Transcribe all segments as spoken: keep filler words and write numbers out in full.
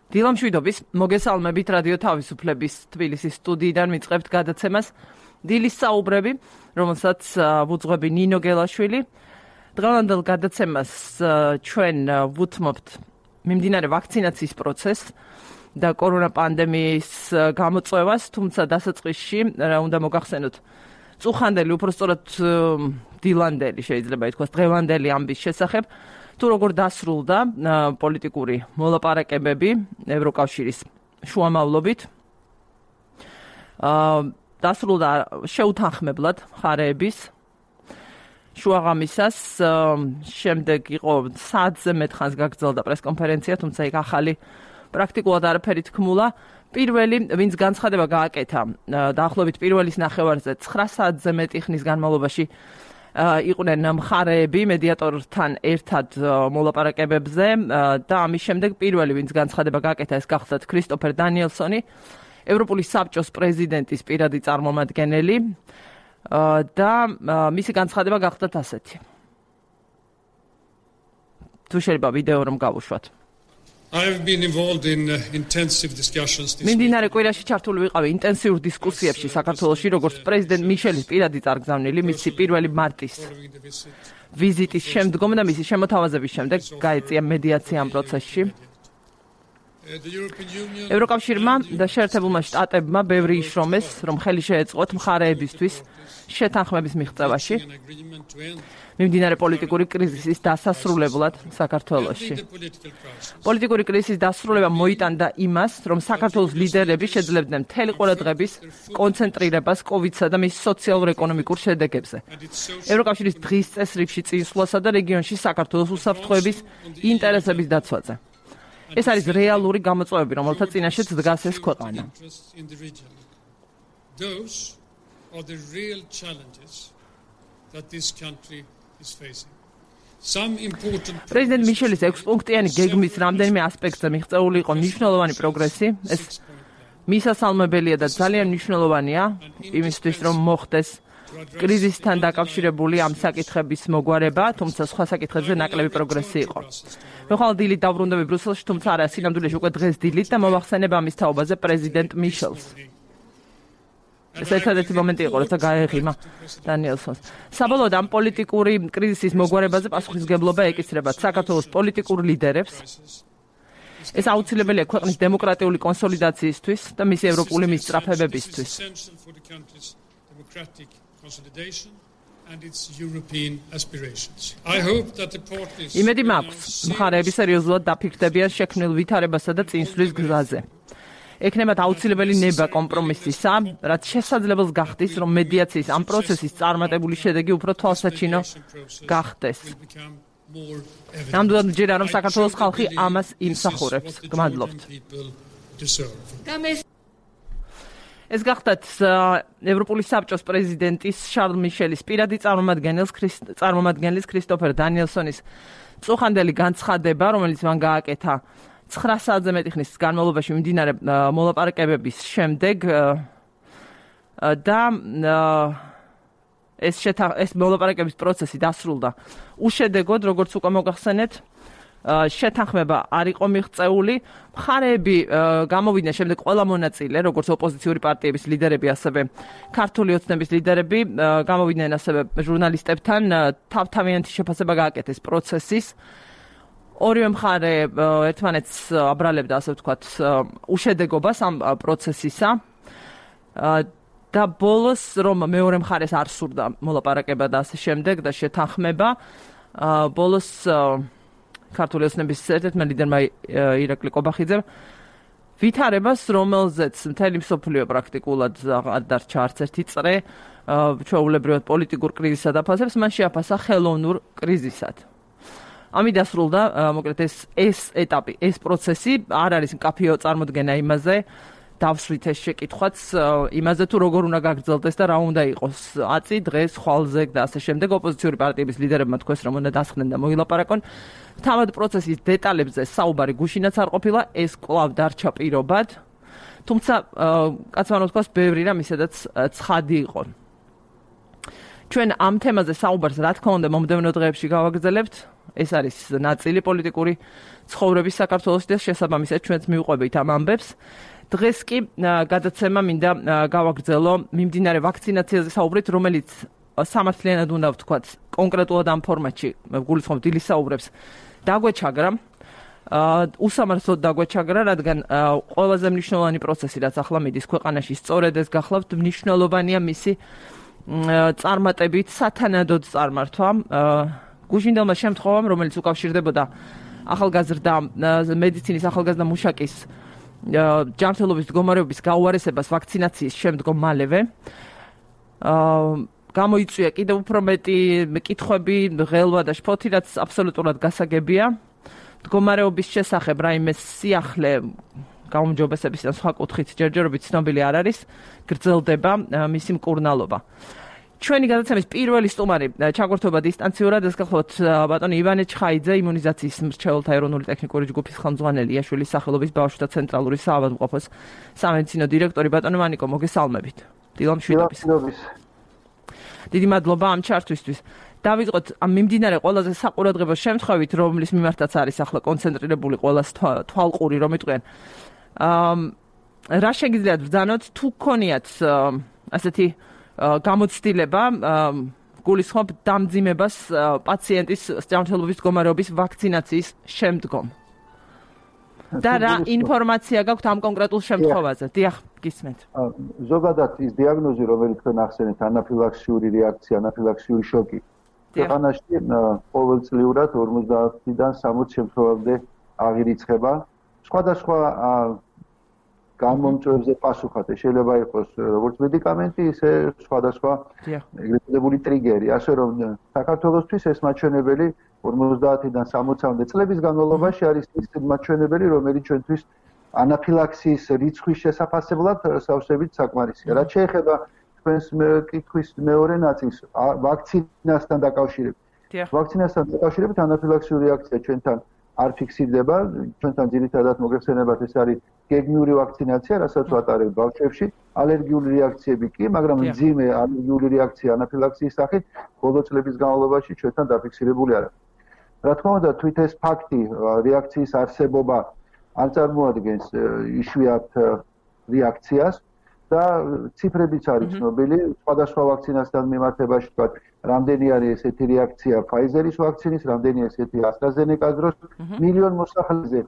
დილამშვიდობის, მოგესალმებით რადიო თავისუფლების თბილისის სტუდიიდან მიწევთ გადაცემას დილის საუბრები, რომელსაც ვუძღვები ნინო გელაშვილი. დღევანდელ გადაცემას ჩვენ ვუთმობთ მიმდინარე ვაქცინაციის პროცესს და კორონა პანდემიის გამოწვევას, თუმცა დასაწყისში რა უნდა მოგახსენოთ წუხანდელი, უпростоრად დილანდელი შეიძლება ითქვას დღევანდელი ამბის შესახებ. თუ როგორ დასრულდა პოლიტიკური მოლაპარაკებები ევროკავშირის შუამავლობით. დასრულდა შეუთანხმებლად მხარეების შუაღამისას, შემდეგ იყო საათზე მეტ ხანს გაგრძელდა პრესკონფერენცია, თუმცა იქ ახალი პრაქტიკულად არაფერი თქმულა. პირველი, ვინც განცხადება გააკეთა, დაახლოებით პირველის ნახევარზე ცხრა საათზე მეტი ხნის განმავლობაში იყვნენ მხარეები მედიატორთან ერთად მოლაპარაკებებზე და ამის შემდეგ პირველი, ვინც განცხადება გააკეთა, ეს გახლდათ ქრისტოფერ დანიელსონი, ევროპული საბჭოს პრეზიდენტის პირადი წარმომადგენელი და მისი განცხადება გახლდათ ასეთი. თუ შეიძლება ვიდეო რომ გავუშვათ. I've been involved in uh, intensive discussions this მიმდინარე კვირაში ჩართული ვიყავი ინტენსიურ დისკუსიებში საქართველოში, როგორც პრეზიდენტ მიშელის პირადი წარგზავნილი მისი პირველი მარტის ვიზიტის შემდგომ და მისი შემოთავაზების შემდეგ გაეწია მედიაცია ამ პროცესში. ევროკავშირმა და შეერთებულმა შტატებმა ბევრი იშრომეს, რომ ხელი შეეწყოთ მხარეებისთვის შეთანხმების მიღწევაში მიმდინარე პოლიტიკური კრიზისის დასასრულებლად საქართველოში. პოლიტიკური კრიზისის დასრულება მოიტანდა იმას, რომ საქართველოს ლიდერები შეძლებდნენ მთელი ყურადღების კონცენტრირებას კოვიდსა და მის სოციალურ-ეკონომიკურ შედეგებზე. ევროკავშირის დღის წესრიგში წინსვლასა და რეგიონში საქართველოს უსაფრთხოების ინტერესების დაცვაზე. ეს არის რეალური გამოწვევები, რომელთა წინაშეც დგას ეს ქვეყანა. პრეზიდენტ მიშელის ექვსპუნქტიანი გეგმის რამდენიმე ასპექტზე მიღწეული იყო მნიშვნელოვანი პროგრესი. ეს მისასალმებელია და ძალიან მნიშვნელოვანია იმისთვის, რომ მოხდეს კრიზისთან დაკავშირებული ამ საკითხების მოგვარება, თუმცა სხვა საკითხებზე ნაკლები პროგრესი იყო. მე ხვალ დილით დავბრუნდები ბრიუსელში, თუმცა არა, სინამდვილეში უკვე დღეს დილით და მოვახსენებ ამის თაობაზე პრეზიდენტ მიშელს. ეს ერთადერთი მომენტი იყო, როცა გაეღიმა დანიელსონს. საბოლოოდ ამ პოლიტიკური კრიზისის მოგვარებაზე პასუხისმგებლობა ეკისრება საქართველოს პოლიტიკურ ლიდერებს. ეს აუცილებელია ქვეყნის დემოკრატიული კონსოლიდაციისთვის და მისი ევროპული მისწრაფებებისთვის. იმედი მაქვს, მხარეები სერიოზულად დაფიქრდებიან შექმნილ ვითარებასა და წინსვლის გზაზე. ექნებათ აუცილებელი ნება კომპრომისისა, რაც შესაძლებელს გახდის, რომ მედიაციის ამ პროცესის წარმატებული შედეგი უფრო თვალსაჩინო გახდეს. ნამდვილად მჯერა, რომ საქართველოს ხალხი ამას იმსახურებს. გმადლობთ. ეს გახდათ ევროპული საბჭოს პრეზიდენტის შარლ მიშელის პირადი წარმომადგენლის წარმომადგენლის ქრისტოფერ დანიელსონის წუხანდელი განცხადება, რომელიც მან გააკეთა ცხრა საათზე მეტი ხნის განმავლობაში მიმდინარე მოლაპარაკებების შემდეგ და ეს ეს მოლაპარაკების პროცესი დასრულდა უშედეგოდ, როგორც უკვე მოგახსენეთ. შეთანხმება არ იყო მიღწეული. მხარეები გამოვიდნენ შემდეგ ყველა მონაწილე, როგორც ოპოზიციური პარტიების ლიდერები, ასევე ქართული ოცნების ლიდერები, გამოვიდნენ ასევე ჟურნალისტებთან, თავთავიანთი შეფასება გააკეთეს პროცესის. ორივე მხარე ერთმანეთს აბრალებდა, ასე ვთქვათ, უშედეგობას ამ პროცესისა და ბოლოს, რომ მეორე მხარეს არ სურდა მოლაპარაკება და ასე შემდეგ და შეთანხმება, ბოლოს ქართული ოცნების ერთ-ერთმა ლიდერმა ირაკლი კობახიძემ ვითარებას, რომელზეც მთელი მსოფლიო პრაქტიკულად არ დარჩა არც ერთი წრე, ჩვეულებრივად პოლიტიკურ კრიზისად აფასებს, მან შეაფასა ხელოვნურ კრიზისად. ამით დასრულდა, მოკლედ ეს ეს ეტაპი, ეს პროცესი არ არის მკაფიო წარმოდგენა იმაზე, დავსვით ეს შეკითხვაც იმაზე, თუ როგორ უნდა გაგრძელდეს და რა უნდა იყოს აწი, დღეს, ხვალზე და ასე შემდეგ. ოპოზიციური პარტიების ლიდერებმა თქვეს, რომ უნდა დასხდნენ და მოილაპარაკონ. თავად პროცესის დეტალებზე საუბარი გუშინაც არ ყოფილა, ეს კვლავ დარჩა პირობად. თუმცა კაცმანო თქვას, ბევრი რამ ისედაც ცხადი იყო. ჩვენ ამ თემაზე საუბარს რა თქმა უნდა მომდევნო დღეებში გავაგრძელებთ. ეს არის ნაწილი პოლიტიკური ცხოვრების საქართველოში და შესაბამისად ჩვენც მივყვებით ამ ამბებს. დღეს კი გადაცემა მინდა გავაგრძელო მიმდინარე ვაქცინაციაზე საუბრით, რომელიც სამართლიანად უნდა ვთქვათ, კონკრეტულად ამ ფორმატში, გულისხმობ დილის საუბრებს, დაგვეჩაგრა. უსამართლოდ დაგვეჩაგრა, რადგან ყველაზე მნიშვნელოვანი პროცესი, რაც ახლა მიდის ქვეყანაში, სწორედ ეს გახლავთ, მნიშვნელოვანია მისი წარმატებით სათანადოდ წარმართვა. გუშინდელმა შემთხვევამ, რომელიც უკავშირდებოდა ახალგაზრდა მედიცინის ახალგაზრდა მუშაკის ჯანმრთელობის მდგომარეობის გაუარესებას ვაქცინაციის შემდგომ მალევე. გამოიწვია კიდევ უფრო მეტი კითხვები, ღელვა და შფოთი, რაც აბსოლუტურად გასაგებია. მდგომარეობის შესახებ რაიმე სიახლე გაუმჯობესების და სხვა კუთხით ჯერჯერობით ცნობილი არ არის, გრძელდება მისი მკურნალობა. ჩვენი გადაცემის პირველი სტუმარი ჩაგვერთვება დისტანციურად, ეს გახლავთ ბატონი ივანე ჩხაიძე, იმუნიზაციის მრჩეველთა ეროვნული ტექნიკური ჯგუფის ხელმძღვანელი, იაშვილის სახელობის ბავშვთა ცენტრალური საავადმყოფოს სამედიცინო დირექტორი. ბატონო მანიკო, მოგესალმებით. დილამშვიდობის. დიდი მადლობა ამ ჩართვისთვის. დავიწყოთ ამ მიმდინარე ყველაზე საყურადღებო შემთხვევით, რომლის მიმართაც არის ახლა კონცენტრირებული ყველას თვალყური, რომ იტყვიან. რა შეგიძლიათ ბრძანოთ, თუ გქონიათ ასეთი გამოცდილება, გულისხმობ დამძიმებას პაციენტის ჯანმრთელობის მდგომარეობის ვაქცინაციის შემდგომ. და რა ინფორმაცია გაქვთ ამ კონკრეტულ შემთხვევაზე? დიახ, გისმენთ. ზოგადად ის დიაგნოზი, რომელიც თქვენ ახსენეთ, ანაფილაქსიური რეაქცია, ანაფილაქსიური შოკი. ქვეყანაში ყოველწლიურად ორმოცდაათიდან სამოცი შემთხვევამდე აღირიცხება. სხვადასხვა გამომწვევებზე პასუხად შეიძლება იყოს როგორც მედიკამენტი, ისე სხვადასხვა ეგრეთ წოდებული ტრიგერი. ასე რომ საქართველოსთვის ეს მაჩვენებელი ორმოცდაათიდან სამოცამდე წლების განმავლობაში არის ის მაჩვენებელი, რომელიც ჩვენთვის ანაფილაქსიის რიცხვის შესაფასებლად სავსებით საკმარისია. რაც შეეხება თქვენს კითხვის მეორე ნაწილს, ვაქცინასთან დაკავშირებით. ვაქცინასთან დაკავშირებით ანაფილაქსიური რეაქცია ჩვენთან არ ფიქსირდება, ჩვენთან ძირითადად მოგეხსენებათ ეს არის გეგმიური ვაქცინაცია, რასაც ვატარებთ ბავშვებში, ალერგიული რეაქციები კი, მაგრამ მძიმე ალერგიული რეაქცია ანაფილაქსიის სახით ბოლო წლების განმავლობაში ჩვენთან დაფიქსირებული არ არის. რა თქმა უნდა, თვით ეს ფაქტი, რეაქციის არსებობა არ წარმოადგენს იშვიათ რეაქციას და ციფრებიც არის ცნობილი, სხვადასხვა ვაქცინასთან მიმართებაში, თქვათ, რამდენი არის ესეთი რეაქცია Pfizer-ის ვაქცინის, რამდენი ესეთი AstraZeneca-ს დროს, მილიონ მოსახლეზე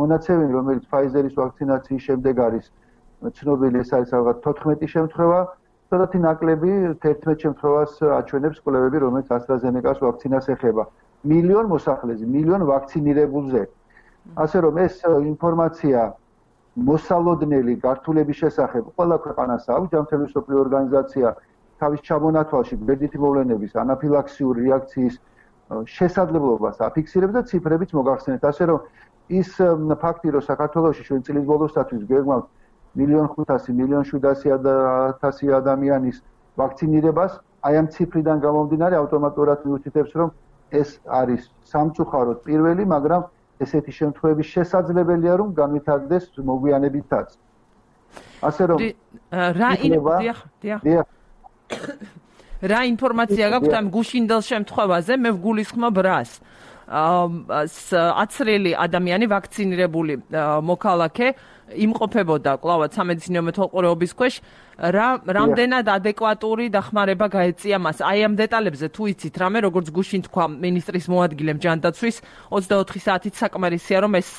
მონაცემი, რომელიც Pfizer-ის ვაქცინაციის შემდეგ არის ცნობილი, ეს არის ალბათ თოთხმეტი შემთხვევა, ცოტათი ნაკლები თერთმეტ შემთხვევას აჩვენებს კვლევები, რომელიც AstraZeneca-ს ვაქცინას ეხება. მილიონ მოსახლეზე, მილიონ ვაქცინირებულზე. ასე რომ ეს ინფორმაცია მოსალოდნელი გართულების შესახებ ყველა ქვეყანას აქვს, ჯანმრთელობის მსოფლიო ორგანიზაცია თავის ჩამონათვალში გვერდითი მოვლენების ანაფილაქსიური რეაქციის შესაძლებლობას აფიქსირებს და ციფრებიც მოგახსენეთ. ასე რომ ის ფაქტი, რომ საქართველოში ჩვენ წლის ბოლოსთვის გვეგმავთ მილიონ ხუთასი, მილიონ შვიდასი ათასი ადამიანის ვაქცინირებას, აი ამ ციფრიდან გამომდინარე ავტომატურად მიუთითებს, რომ ეს არის სამწუხაროდ პირველი, მაგრამ ესეთი შემთხვევების შესაძლებელია, რომ განვითარდეს მოგვიანებითაც. ასე რომ რა დიახ, დიახ. რა ინფორმაცია გაქვთ ამ გუშინდელ შემთხვევაზე? მე ვგულისხმობ რას? აცრელი ადამიანი ვაქცინირებული მოქალაქე იმყოფებოდა კლავად სამედიცინო მეთვალყურეობის ქვეშ, რა რამდენად ადეკვატური დახმარება გაეწია მას? აი ამ დეტალებზე თუ იცით რამე, როგორც გუშინ თქვა მინისტრის მოადგილემ ჯანდაცვის, ოცდაოთხი საათით საკმარისია, რომ ეს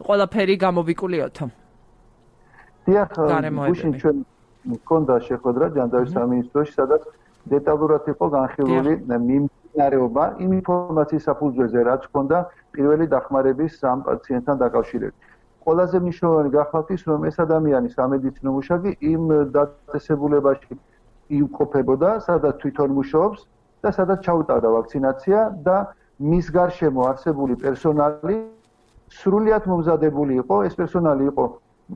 ყველაფერი გამოვიკულიოთო. დიახ, გუშინ ჩვენ მქონდა შეხვედრა ჯანდაცვის სამინისტროში, სადაც დეტალურად იყო განხილული მიმდინარეობა იმ ინფორმაციის საფუძველზე, რაც ჰქონდა პირველი დახმარების ამ პაციენტთან დაკავშირებით. ყველაზე მნიშვნელოვანი გახლავთ ის, რომ ეს ადამიანი სამედიცინო მუშაკი იმ დაწესებულებაში იმყოფებოდა, სადაც თვითონ მუშაობს და სადაც ჩაუტარდა ვაქცინაცია და მის გარშემო არსებული პერსონალი სრულიად მომზადებული იყო. ეს პერსონალი იყო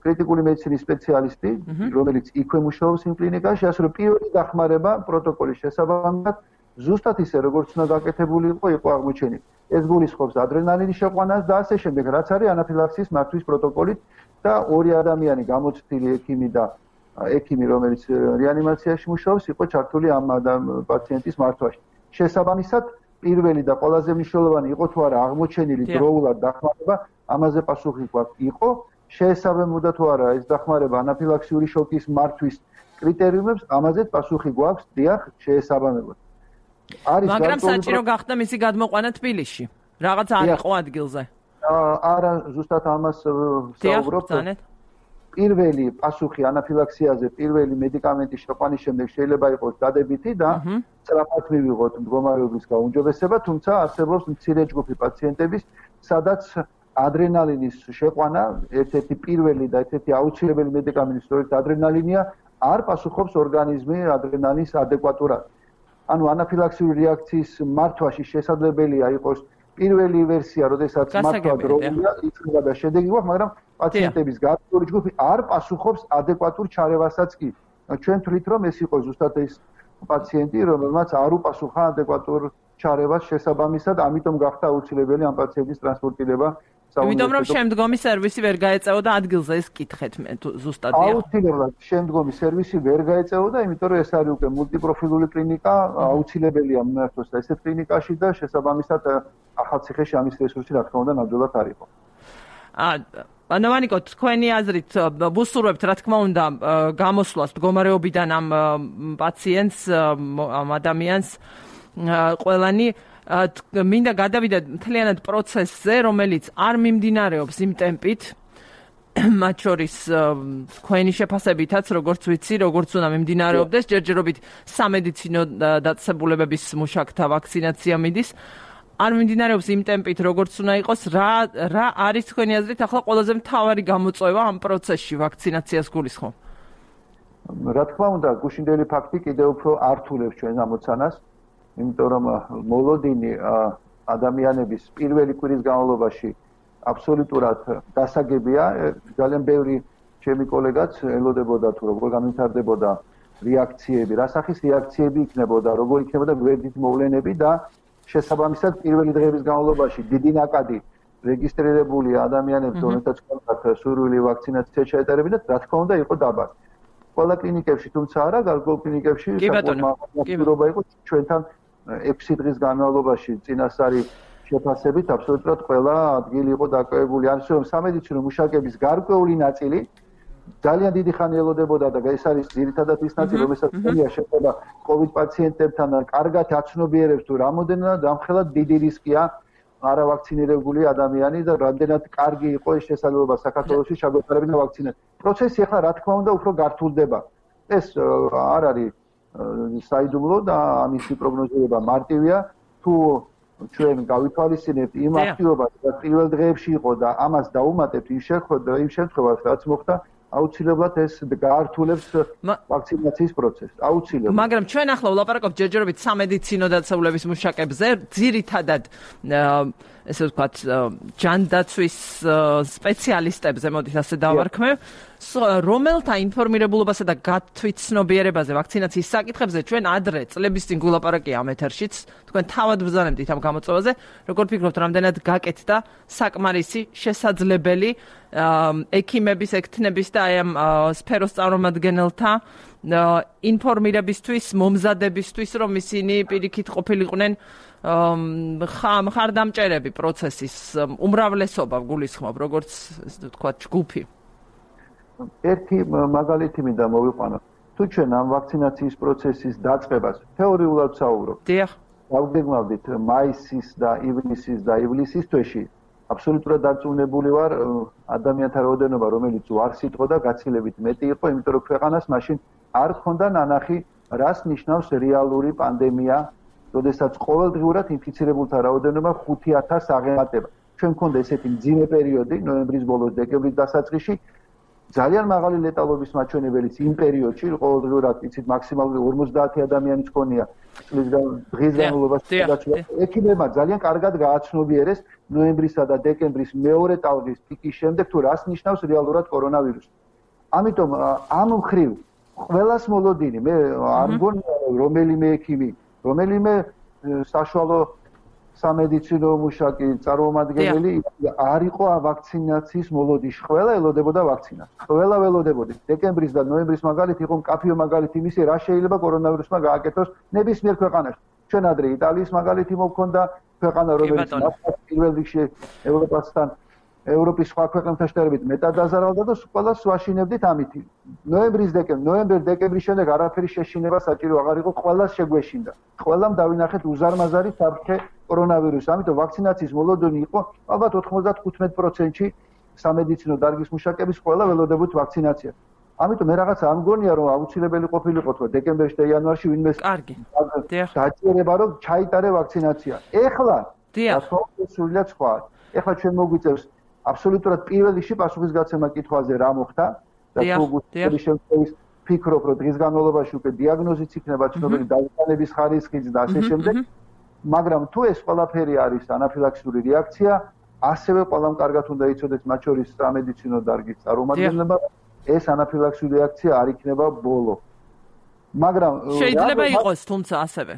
კრიტიკული მედიცინის სპეციალისტი, რომელიც იქვე მუშაობს იმ კლინიკაში, ასე რომ პირველი დახმარება პროტოკოლის შესაბამისად ზუსტად ისე, როგორც უნდა გაკეთებული იყო, იყო აღმოჩენილი. ეს გულისხმობს ადრენალინის შეყვანას და ასე შემდეგ, რაც არის ანაფილაქსიის მართვის პროტოკოლით და ორი ადამიანი გამოცდილი ექიმი და ექიმი, რომელიც რეანიმაციაში მუშაობს, იყო ჩართული ამ პაციენტის მართვაში. შესაბამისად, პირველი და ყველაზე მნიშვნელოვანი იყო თუ არა აღმოჩენილი დროულად დახმარება, ამაზე პასუხი გვაქვს იყო, შეესაბამებოდა თუ არა ეს დახმარება ანაფილაქსიური შოკის მართვის კრიტერიუმებს, ამაზეც პასუხი გვაქვს, დიახ, შეესაბამებოდა. მაგრამ საჭირო გახდა მისი გადმოყვანა თბილისში. რაღაც არ იყო ადგილზე. არა, ზუსტად ამას ვსაუბრობ. პირველი პასუხი ანაფილაქსიაზე, პირველი მედიკამენტის შეყვანის შემდეგ შეიძლება იყოს დადებითი და სწრაფად მივიღოთ მდგომარეობის გაუმჯობესება, თუმცა არსებობს მცირე ჯგუფი პაციენტების, სადაც ადრენალინის შეყვანა, ერთ-ერთი პირველი და ერთ-ერთი აუცილებელი მედიკამენტი, სწორედ ადრენალინია, არ პასუხობს ორგანიზმი ადრენალინის ადეკვატურად. ანუ ანაფილაქსიური რეაქციის მართვაში შესაძლებელია იყოს პირველი ვერსია, როდესაც მართვა დროულია, იწება და შედეგი გვაქვს, მაგრამ პაციენტების გარკვეული ჯგუფი არ პასუხობს ადეკვატურ ჩარევასაც კი. ჩვენ თვლით, რომ ეს იყო ზუსტად ეს პაციენტი, რომელმაც არ უპასუხა ადეკვატურ ჩარევას შესაბამისად, ამიტომ გახდა აუცილებელი ამ პაციენტის ტრანსპორტირება. იმიტომ რომ შემდგომი სერვისი ვერ გაეწეოდა ადგილზე, ეს კითხეთ მე ზუსტად. აუცილებლად შემდგომი სერვისი ვერ გაეწეოდა, იმიტომ რომ ეს არის უკვე მულტიპროფილული კლინიკა, აუცილებელია მიმართოს ესეთ კლინიკაში და შესაბამისად ახალციხეში ამის რესურსი რა თქმა უნდა ნამდვილად არ იყო. ანოვანიკო, თქვენი აზრით ვუსურვებთ რა თქმა უნდა გამოსვლას მდგომარეობიდან ამ პაციენტს, ამ ადამიანს ყველანი მინდა გადავიდეთ მთლიანად პროცესზე, რომელიც არ მიმდინარეობს იმ ტემპით, მათ შორის თქვენი შეფასებითაც, როგორც ვიცი, როგორც უნდა მიმდინარეობდეს, ჯერჯერობით სამედიცინო დაწესებულებების მუშაკთა ვაქცინაცია მიდის. არ მიმდინარეობს იმ ტემპით, როგორც უნდა იყოს, რა რა არის თქვენი აზრით ახლა ყველაზე მთავარი გამოწვევა ამ პროცესში ვაქცინაციას გულისხმობ? რა თქმა უნდა, გუშინდელი ფაქტი კიდევ უფრო ართულებს ჩვენს ამოცანას, იმიტომ რომ მოლოდინი ადამიანების პირველი კვირის განმავლობაში აბსოლუტურად დასაგებია, ძალიან ბევრი ჩემი კოლეგაც ელოდებოდა თუ როგორ გამვითარდებოდა რეაქციები, რა სახის რეაქციები იქნებოდა, როგორ იქნებოდა გვერდით მოვლენები და შესაბამისად პირველი დღეების განმავლობაში დიდი ნაკადი რეგისტრირებული ადამიანებს, რომელთაც ჰქონდათ სურვილი ვაქცინაცია ჩაეტარებინათ, რა თქმა უნდა იყო დაბალი. ყველა კლინიკებში, თუმცა არა, გარკვეულ კლინიკებში საკუთრება იყო ჩვენთან ექვსი დღის განმავლობაში წინასწარი შეფასებით აბსოლუტურად ყველა ადგილი იყო დაკავებული. ან რომ სამედიცინო მუშაკების გარკვეული ნაწილი ძალიან დიდი ხანი ელოდებოდა და ეს არის ძირითადად ის ნაწილი, რომელსაც შეეხება COVID პაციენტებთან და კარგად აცნობიერებს თუ რამოდენად ამხელად დიდი რისკია არავაქცინირებული ადამიანი და რამდენად კარგი იყო ეს შესაძლებლობა საქართველოში ჩაგვეტარებინა ვაქცინა. პროცესი ახლა რა თქმა უნდა უფრო გართულდება. ეს არ არის საიდუმლო და ამისი პროგნოზირება მარტივია. თუ ჩვენ გავითვალისწინებთ იმ აქტივობას, რაც პირველ დღეებში იყო და ამას დაუმატებთ იმ შემთხვევაში, რაც მოხდა, აუცილებლად ეს გაართულებს ვაქცინაციის პროცესს. აუცილებლად. მაგრამ ჩვენ ახლა ვლაპარაკობთ ჯერჯერობით სამედიცინო დაწესებულების მუშაკებზე, ძირითადად ესე ვთქვათ, ჯანდაცვის სპეციალისტებზე, მოდით ასე დავარქმევ, რომელთა ინფორმირებულობასა და გათვითცნობიერებაზე ვაქცინაციის საკითხებზე ჩვენ ადრე წლების წინ გულაპარაკია ამ ეთერშიც, თქვენ თავად ბრძანებდით ამ გამოწვევაზე, როგორ ფიქრობთ, რამდენად გაკეთდა საკმარისი შესაძლებელი ექიმების, ექთნების და აი ამ სფეროს წარმომადგენელთა ინფორმირებისთვის, მომზადებისთვის, რომ ისინი პირიქით ყოფილიყვნენ მხარდამჭერები პროცესის უმრავლესობა გულისხმობ, როგორც ესე ვთქვათ, ჯგუფი. ერთი მაგალითი მინდა მოვიყვანო. თუ ჩვენ ამ ვაქცინაციის პროცესის დაწყებას თეორიულად ვსაუბრობთ. დიახ. გავგეგმავდით მაისის და ივნისის და ივლისის თვეში. აბსოლუტურად დარწმუნებული ვარ ადამიანთა რაოდენობა, რომელიც უარს იტყო და გაცილებით მეტი იყო, იმიტომ რომ ქვეყანას მაშინ არ ჰქონდა ნანახი, რას ნიშნავს რეალური პანდემია, როდესაც ყოველდღიურად ინფიცირებულთა რაოდენობა ხუთი ათასს აღემატება. ჩვენ გქონდა ესეთი მძიმე პერიოდი, ნოემბრის ბოლოს, დეკემბრის დასაწყისში, ძალიან მაღალი ლეტალობის მაჩვენებელიც იმ პერიოდში, ყოველდღიურად იცით მაქსიმალური ორმოცდაათი ადამიანის ქონია წლის დღის განმავლობაში. ექიმებმა ძალიან კარგად გააცნობიერეს ნოემბრისა და დეკემბრის მეორე ტალღის პიკის შემდეგ თუ რას ნიშნავს რეალურად კორონავირუსი. ამიტომ ამ მხრივ ყველას მოლოდინი, მე არ მგონია რომელიმე ექიმი, რომელიმე საშუალო სამედიცინო მუშაკი წარმომადგენელი არ იყო ვაქცინაციის მოლოდინში. ყველა ელოდებოდა ვაქცინას. ყველა ველოდებოდი. დეკემბრის და ნოემბრის მაგალითი იყო მკაფიო მაგალითი იმისი, რა შეიძლება კორონავირუსმა გააკეთოს ნებისმიერ ქვეყანაში. ჩვენ ადრე იტალიის მაგალითი მოგქონდა, ქვეყანა რომელიც პირველ რიგში ევროპასთან ევროპის სხვა ქვეყნებთან შედარებით მეტად დაზარალდა და ყველას ვაშინებდით ამით. ნოემბრის დეკემბრი, ნოემბერ-დეკემბრის შემდეგ არაფერი შეშინება საჭირო აღარ იყო, ყველას შეგვეშინდა. ყველამ დავინახეთ უზარმაზარი საფრთხე კორონავირუსი. ამიტომ ვაქცინაციის მოლოდინი იყო ალბათ ოთხმოცდათხუთმეტ პროცენტში სამედიცინო დარგის მუშაკების ყველა ველოდებოთ ვაქცინაცია. ამიტომ მე რაღაცა არ მგონია რომ აუცილებელი ყოფილიყო თქო დეკემბერში და იანვარში ვინმე კარგი. დაჭირება რომ ჩაიტარე ვაქცინაცია. ეხლა სრულიად სხვა. ეხლა ჩვენ მოგვიწევს აბსოლუტურად პირველ რიგში პასუხისგაცემა კითხვაზე რა მოხდა და თუ გულწრფელი შემთხვევის ფიქრობ რომ დღის განმავლობაში უკვე დიაგნოზიც იქნება ცნობილი დავითანების ხარისხიც და ასე შემდეგ მაგრამ თუ ეს ყველაფერი არის ანაფილაქსიური რეაქცია ასევე ყველამ კარგად უნდა იცოდეს მათ შორის სამედიცინო დარგის წარმომადგენლებმა ეს ანაფილაქსიური რეაქცია არ იქნება ბოლო მაგრამ შეიძლება იყოს თუმცა ასევე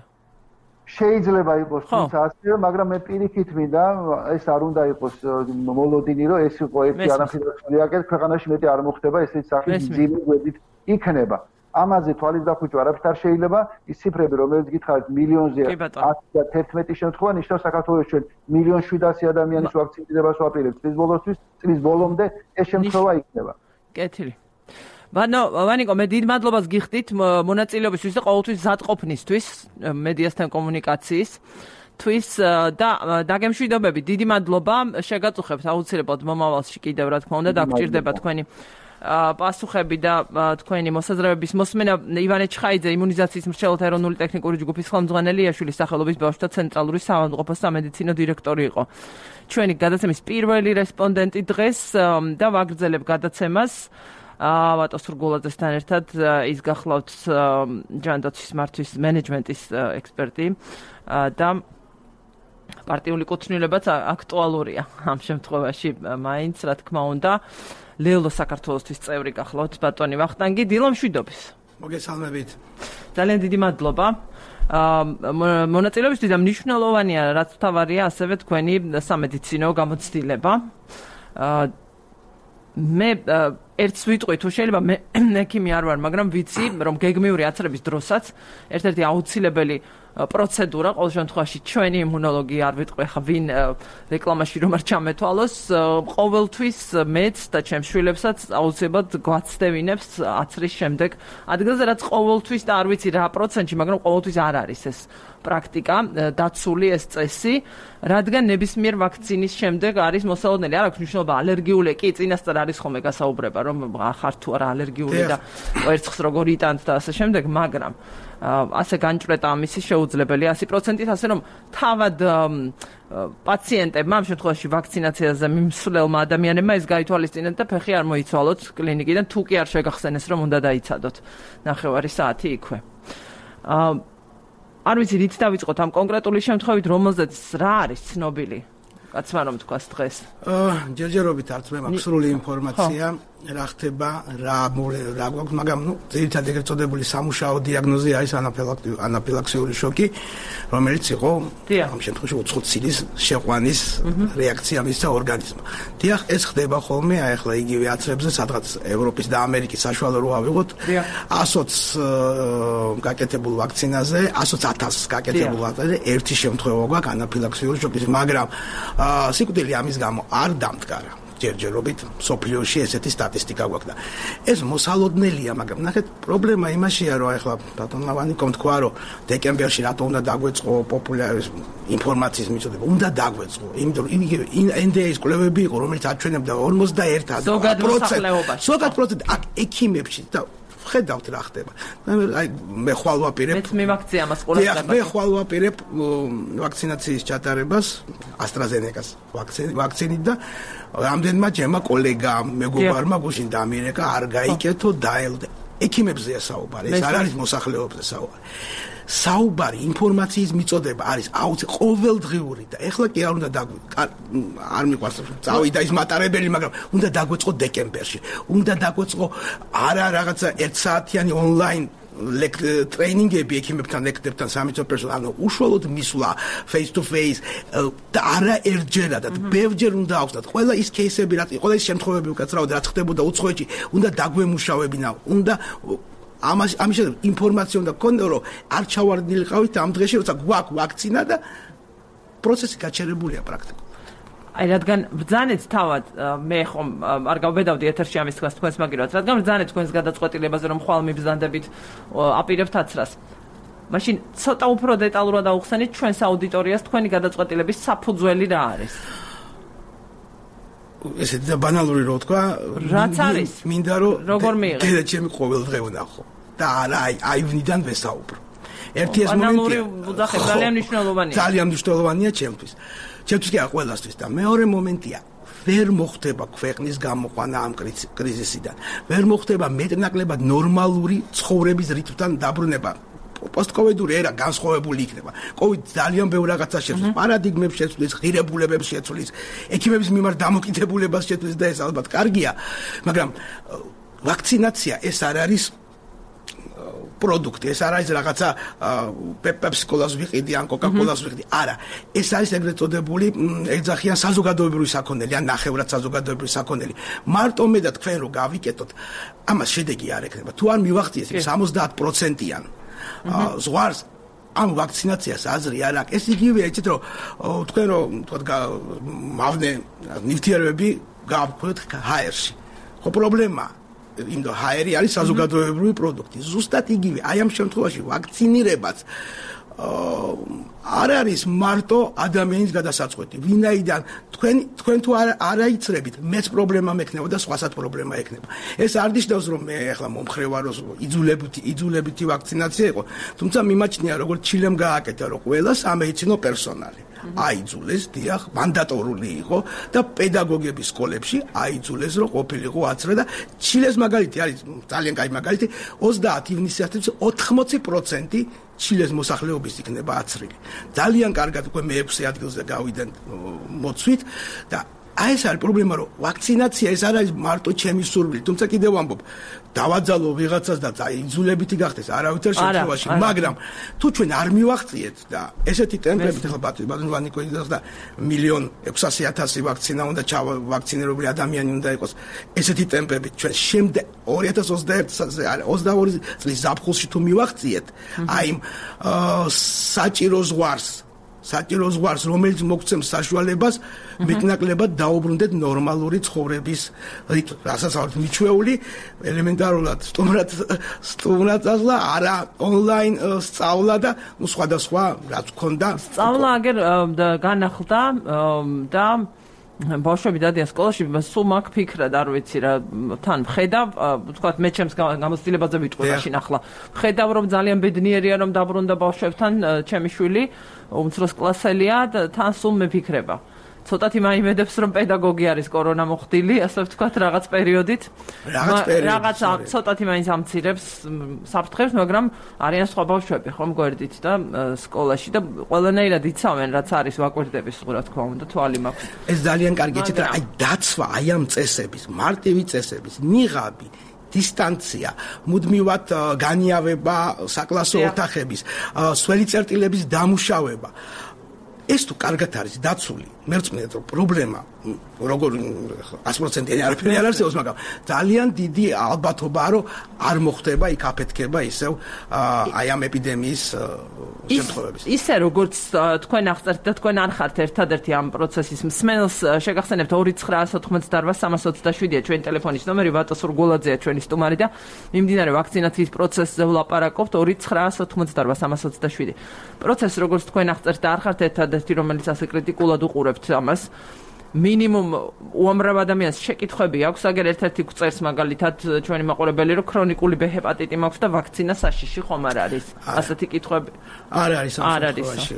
შეიძლება იყოს თუმცა ასევე მაგრამ მე პირიქით მინდა ეს არ უნდა იყოს მოლოდინი რომ ეს იყო ერთი ანაფილაქსიური რეაქცია ქვეყანაში მეტი არ მოხდება ესეც სახის ძილი გვერდით იქნება ამაზე თვალის დახვეჭვა არაფერთ არ შეიძლება ის ციფრები რომელიც გითხარით მილიონზე ათი და თერთმეტი შემთხვევა ნიშნავს საქართველოს ჩვენ მილიონ შვიდასი ადამიანის ვაქცინირებას ვაპირებთ წლის ბოლოსთვის წლის ბოლომდე ეს შემთხვევა იქნება კეთილი ვანო ვანიკო მე დიდ მადლობას გიხდით მონაწილეობისთვის და ყოველთვის ზადყოფნისთვის მედიასთან კომუნიკაციის თვის და დაგემშვიდობები დიდი მადლობა შეგაწუხებთ აუცილებლად მომავალში კიდევ რა თქმა უნდა დაგჭირდება თქვენი პასუხები და თქვენი მოსაზრებების მოსმენა ივანე ჩხაიძე იმუნიზაციის მრჩეველთა ეროვნული ტექნიკური ჯგუფის ხელმძღვანელი იაშვილის სახელობის ბავშვთა ცენტრალური საავადმყოფოს სამედიცინო დირექტორი იყო ჩვენი გადაცემის პირველი რესპონდენტი დღეს და ვაგრძელებ გადაცემას ავატო სურგულაძესთან ერთად ის გახლავთ ჯანდაცვის მართვის მენეჯმენტის ექსპერტი და პარტიული კუთვნილებაც აქტუალურია ამ შემთხვევაში მაინც რა თქმა უნდა ლელო საქართველოსთვის წევრი გახლავთ ბატონი ვახტანგი დილომშვიდობის მოგესალმებით ძალიან დიდი მადლობა მონაწილეობისთვის და მნიშვნელოვანია რაც თავარია ასევე თქვენი სამედიცინო გამოცდილება მე ერთს ვიტყვი თუ შეიძლება მე ექიმი არ ვარ მაგრამ ვიცი რომ გეგმიური აცრების დროსაც ერთ-ერთი აუცილებელი პროცედურა ყოველ შემთხვევაში ჩვენი იმუნოლოგი არ ვიტყვი ხა ვინ რეკლამაში რომ არ ჩამეთვალოს ყოველთვის მეც და ჩემს შვილებსაც აუცილებლად გვაცდევინებს აცრის შემდეგ ადგილზე რაც ყოველთვის და არ ვიცი რა პროცენტში მაგრამ ყოველთვის არ არის ეს პრაქტიკა დაცული ეს წესი რადგან ნებისმიერ ვაქცინის შემდეგ არის მოსალოდნელი არ აქვს მნიშვნელობა ალერგიული კი წინასწარ არის ხოლმე გასაუბრება რომ ხარ თუ არა ალერგიული და კვერცხს როგორ იტანთ და ასე შემდეგ მაგრამ ასე განჭრეტა ამისი შეუძლებელია ასი პროცენტით ასე რომ თავად პაციენტებმა ამ შემთხვევაში ვაქცინაციაზე მიმსვლელმა ადამიანებმა ეს გაითვალისწინეთ და ფეხი არ მოიცვალოთ კლინიკიდან თუ კი არ შეგახსენეს რომ უნდა დაიცადოთ ნახევარი საათი იქვე არ ვიცი რით დავიწყოთ ამ კონკრეტული შემთხვევით რომელზეც რა არის ცნობილი კაცმა რომ თქვას დღეს ჯერჯერობით არც მე მაქვს სრული ინფორმაცია რა ხდება რა რა გვაქვს მაგრამ ნუ ძირითადად ეგრეთ წოდებული სამუშაო დიაგნოზი არის ანაფილაქსიური შოკი რომელიც იყო ამ შემთხვევაში უცხო ცილის შეყვანის რეაქცია მისცა ორგანიზმმა დიახ ეს ხდება ხოლმე აი ახლა იგივე აცრებზე სადღაც ევროპის და ამერიკის საშუალო რო ავიღოთ ასოც გაკეთებულ ვაქცინაზე ასოც ათასს გაკეთებულ ვაქცინაზე ერთი შემთხვევა გვაქვს ანაფილაქსიური შოკის მაგრამ სიკვდილი ამის გამო არ დამდგარა ჯერჯერობით სოფლიოში ესეთი სტატისტიკა გვაქვს და ეს მოსალოდნელია მაგრამ ნახეთ პრობლემა იმაშია რომ ახლა ბატონ ლავანიკომ თქვა რომ დეკემბერში რატო უნდა დაგვეწყო პოპულარის ინფორმაციის მიწოდება უნდა დაგვეწყო იმიტომ რომ ენ დი ეის კვლევები იყო რომელიც აჩვენებდა ორმოცდაერთი პროცენტი ზოგად პროცენტი აქ ექიმებში და ხედავთ რა ხდება აი მე ხვალ ვაპირებ მეც მივაქცია ამას ყურადღებას მე ხვალ ვაპირებ ვაქცინაციის ჩატარებას AstraZeneca-ს ვაქცინით და რამდენმა ჩემმა კოლეგამ მეგობარმა გუშინ დამირეკა არ გაიკეთო დაელოდე ექიმებზეა საუბარი ეს არ არის მოსახლეობაზე საუბარი საუბარი ინფორმაციის მიწოდება არის აუცი ყოველდღიური და ეხლა კი არ უნდა არ მიყვარს წავიდა ის მატარებელი მაგრამ უნდა დაგვეწყო დეკემბერში უნდა დაგვეწყო არა რაღაცა ერთ საათიანი ონლაინ ტრეინინგები ექიმებთან, ლექტორებთან, სამედიცინო პერსონალთან, უშუალოდ მისვლა face to face და არა ერთჯერადად, ბევრჯერ უნდა აუხსნათ. ყველა ის кейსები, რაც ყველა ის შემთხვევები უკაცრავად რაც ხდებოდა უცხოეთში, უნდა დაგვემუშავებინა, უნდა ამას ამის ინფორმაცია უნდა გქონდა, რომ არ ჩავარდნილიყავით ამ დღეში, როცა გვაქვს ვაქცინა და პროცესი გაჩერებულია პრაქტიკულად. აი რადგან ბრძანეთ თავად მე ხომ არ გავბედავდი ეთერში ამის თქვას თქვენს მაგირად, რადგან ბრძანეთ თქვენს გადაწყვეტილებაზე, რომ ხვალ მიბრძანდებით აპირებთ აცრას. მაშინ ცოტა უფრო დეტალურად აუხსენით ჩვენს აუდიტორიას თქვენი გადაწყვეტილების საფუძველი რა არის? ესეთი და ბანალური რო თქვა, რაც არის? მინდა რომ როგორ მიიღე? დედა ჩემი ყოველდღე ვნახო და არა აი აივნიდან ვესაუბრო. ერთი ეს მომენტია. ბანალური უძახე ძალიან მნიშვნელოვანია. ძალიან მნიშვნელოვანია ჩემთვის. ჩემთვის კი არა ყველასთვის და მეორე მომენტია ვერ მოხდება ქვეყნის გამოყვანა ამ კრიზისიდან. ვერ მოხდება მეტნაკლებად ნორმალური ცხოვრების რიტმთან დაბრუნება. პოსტკოვიდური ერა განსხვავებული იქნება. კოვიდი ძალიან ბევრ რაღაცას შეცვლის, პარადიგმებს შეცვლის, ღირებულებებს შეცვლის, ექიმების მიმართ დამოკიდებულებას შეცვლის და ეს ალბათ კარგია, მაგრამ ვაქცინაცია ეს არ არის პროდუქტი, ეს არ არის რაღაცა პეპსიკოლას ვიყიდი ან კოკაკოლას ვიყიდი. არა, ეს არის ეგრეთ წოდებული ეძახიან საზოგადოებრივი საქონელი ან ნახევრად საზოგადოებრივი საქონელი. მარტო მე და თქვენ რო გავიკეთოთ, ამას შედეგი არ ექნება. თუ არ მივახციეს იმ სამოცდაათ პროცენტიან ზღვარს ამ ვაქცინაციას აზრი არ აქვს. ეს იგივეა, იცით რომ თქვენ რომ თქვა მავნე ნივთიერებები გავქვეთ ჰაერში. ხო პრობლემაა. იმ და ჰაერი არის საზოგადოებრივი პროდუქტი. ზუსტად იგივე, აი ამ შემთხვევაში ვაქცინირებაც არ არის მარტო ადამიანის გადასაწყვეტი. ვინაიდან თქვენ თქვენ თუ არ არაიცრებით, მეც პრობლემა მექნება და სხვასაც პრობლემა ექნება. ეს არ ნიშნავს რომ მე ახლა მომხრე ვარ, რომ იძულებითი იძულებითი ვაქცინაცია იყო, თუმცა მიმაჩნია როგორც ჩილემ გააკეთა, რომ ყველა სამედიცინო პერსონალი აიძულეს, დიახ, მანდატორული იყო და პედაგოგების სკოლებში აიძულეს, რომ ყოფილიყო აცრა და ჩილეს მაგალითი არის ძალიან კაი მაგალითი, ოცდაათი ივნისის ოთხმოცი პროცენტი ჩილეს მოსახლეობის იქნება აცრილი. ძალიან კარგად უკვე მეექვსე ადგილზე გავიდან მოცვით და აი ეს არის პრობლემა, რომ ვაქცინაცია ეს არ არის მარტო ჩემი სურვილი, თუმცა კიდევ ვამბობ, დავაძალო ვიღაცას და იძულებითი გახდეს არავითარ შემთხვევაში, მაგრამ თუ ჩვენ არ მივახციეთ და ესეთი ტემპებით ახლა ბატონი კვიდას და მილიონ ექვსასი ათასი ვაქცინა უნდა ჩავაქცინირებული ადამიანი უნდა იყოს, ესეთი ტემპებით ჩვენ შემდეგ ორი ათას ოცდაერთი ოცდაორი წლის ზაფხულში თუ მივახციეთ, აი საჭირო ზღვარს საჭირო ზღვარს, რომელიც მოგცემს საშუალებას მეტნაკლებად დაუბრუნდეთ ნორმალური ცხოვრების რიტმს. რასაც ვართ მიჩვეული, ელემენტარულად სტუმრად სტუმრად წასვლა, არა ონლაინ სწავლა და ნუ სხვადასხვა რაც გქონდა. სწავლა აგერ განახლდა და ბავშვები დადიან სკოლაში, სულ მაგ ფიქრად არ ვიცი რა, თან ვხედავ, ვთქვათ, მე ჩემს გამოცდილებაზე ვიტყვი მაშინ ახლა. ვხედავ რომ ძალიან ბედნიერია რომ დაბრუნდა ბავშვებთან ჩემი შვილი, უმცროს კლასელია და თან სულ მეფიქრება. ცოტათი მაიმედებს რომ პედაგოგი არის კორონა მოხდილი, ასე ვთქვათ, რაღაც პერიოდით. რაღაც პერიოდით. რაღაც ცოტათი მაინც ამცირებს საფრთხებს, მაგრამ არიან სხვა ბავშვები, ხომ გვერდით და სკოლაში და ყველანაირად იცავენ, რაც არის ვაკვირდების, რა თქმა უნდა, თვალი მაქვს. ეს ძალიან კარგი, იცით რა, აი დაცვა, აი ამ წესების, მარტივი წესების, ნიღაბი დისტანცია, მუდმივად განიავება საკლასო ოთახების, სველი წერტილების დამუშავება. ეს თუ კარგად არის დაცული, მერწმუნეთ რომ პრობლემა როგორ ათი პროცენტიანი არაფერი არ არსებობს, მაგრამ ძალიან დიდი ალბათობაა რომ არ მოხდება იქ აფეთქება ისევ აი ამ ეპიდემიის შემთხვევების. ისე როგორც თქვენ აღწერთ და თქვენ არ ხართ ერთადერთი ამ პროცესის მსმენელს, შეგახსენებთ ორი ცხრა ოცდაოთხი სამას ოცდაშვიდია ჩვენი ტელეფონის ნომერი, ვატო სურგულაძეა ჩვენი სტუმარი და მიმდინარე ვაქცინაციის პროცესზე ვლაპარაკობთ ორი ცხრა ოცდაოთხი სამას ოცდაშვიდი. პროცესი როგორც თქვენ აღწერთ და არ ხართ ერთადერთი, რომელიც ასე კრიტიკულად უყურებთ ამას. მინიმუმ უამრავ ადამიანს შეკითხვები აქვს, აგერ ერთ-ერთი გვწერს მაგალითად ჩვენი მაყურებელი, რომ ქრონიკული ბ ჰეპატიტი მაქვს და ვაქცინა საშიში ხომ არ არის? ასეთი კითხვები არ არის ამ შემთხვევაში.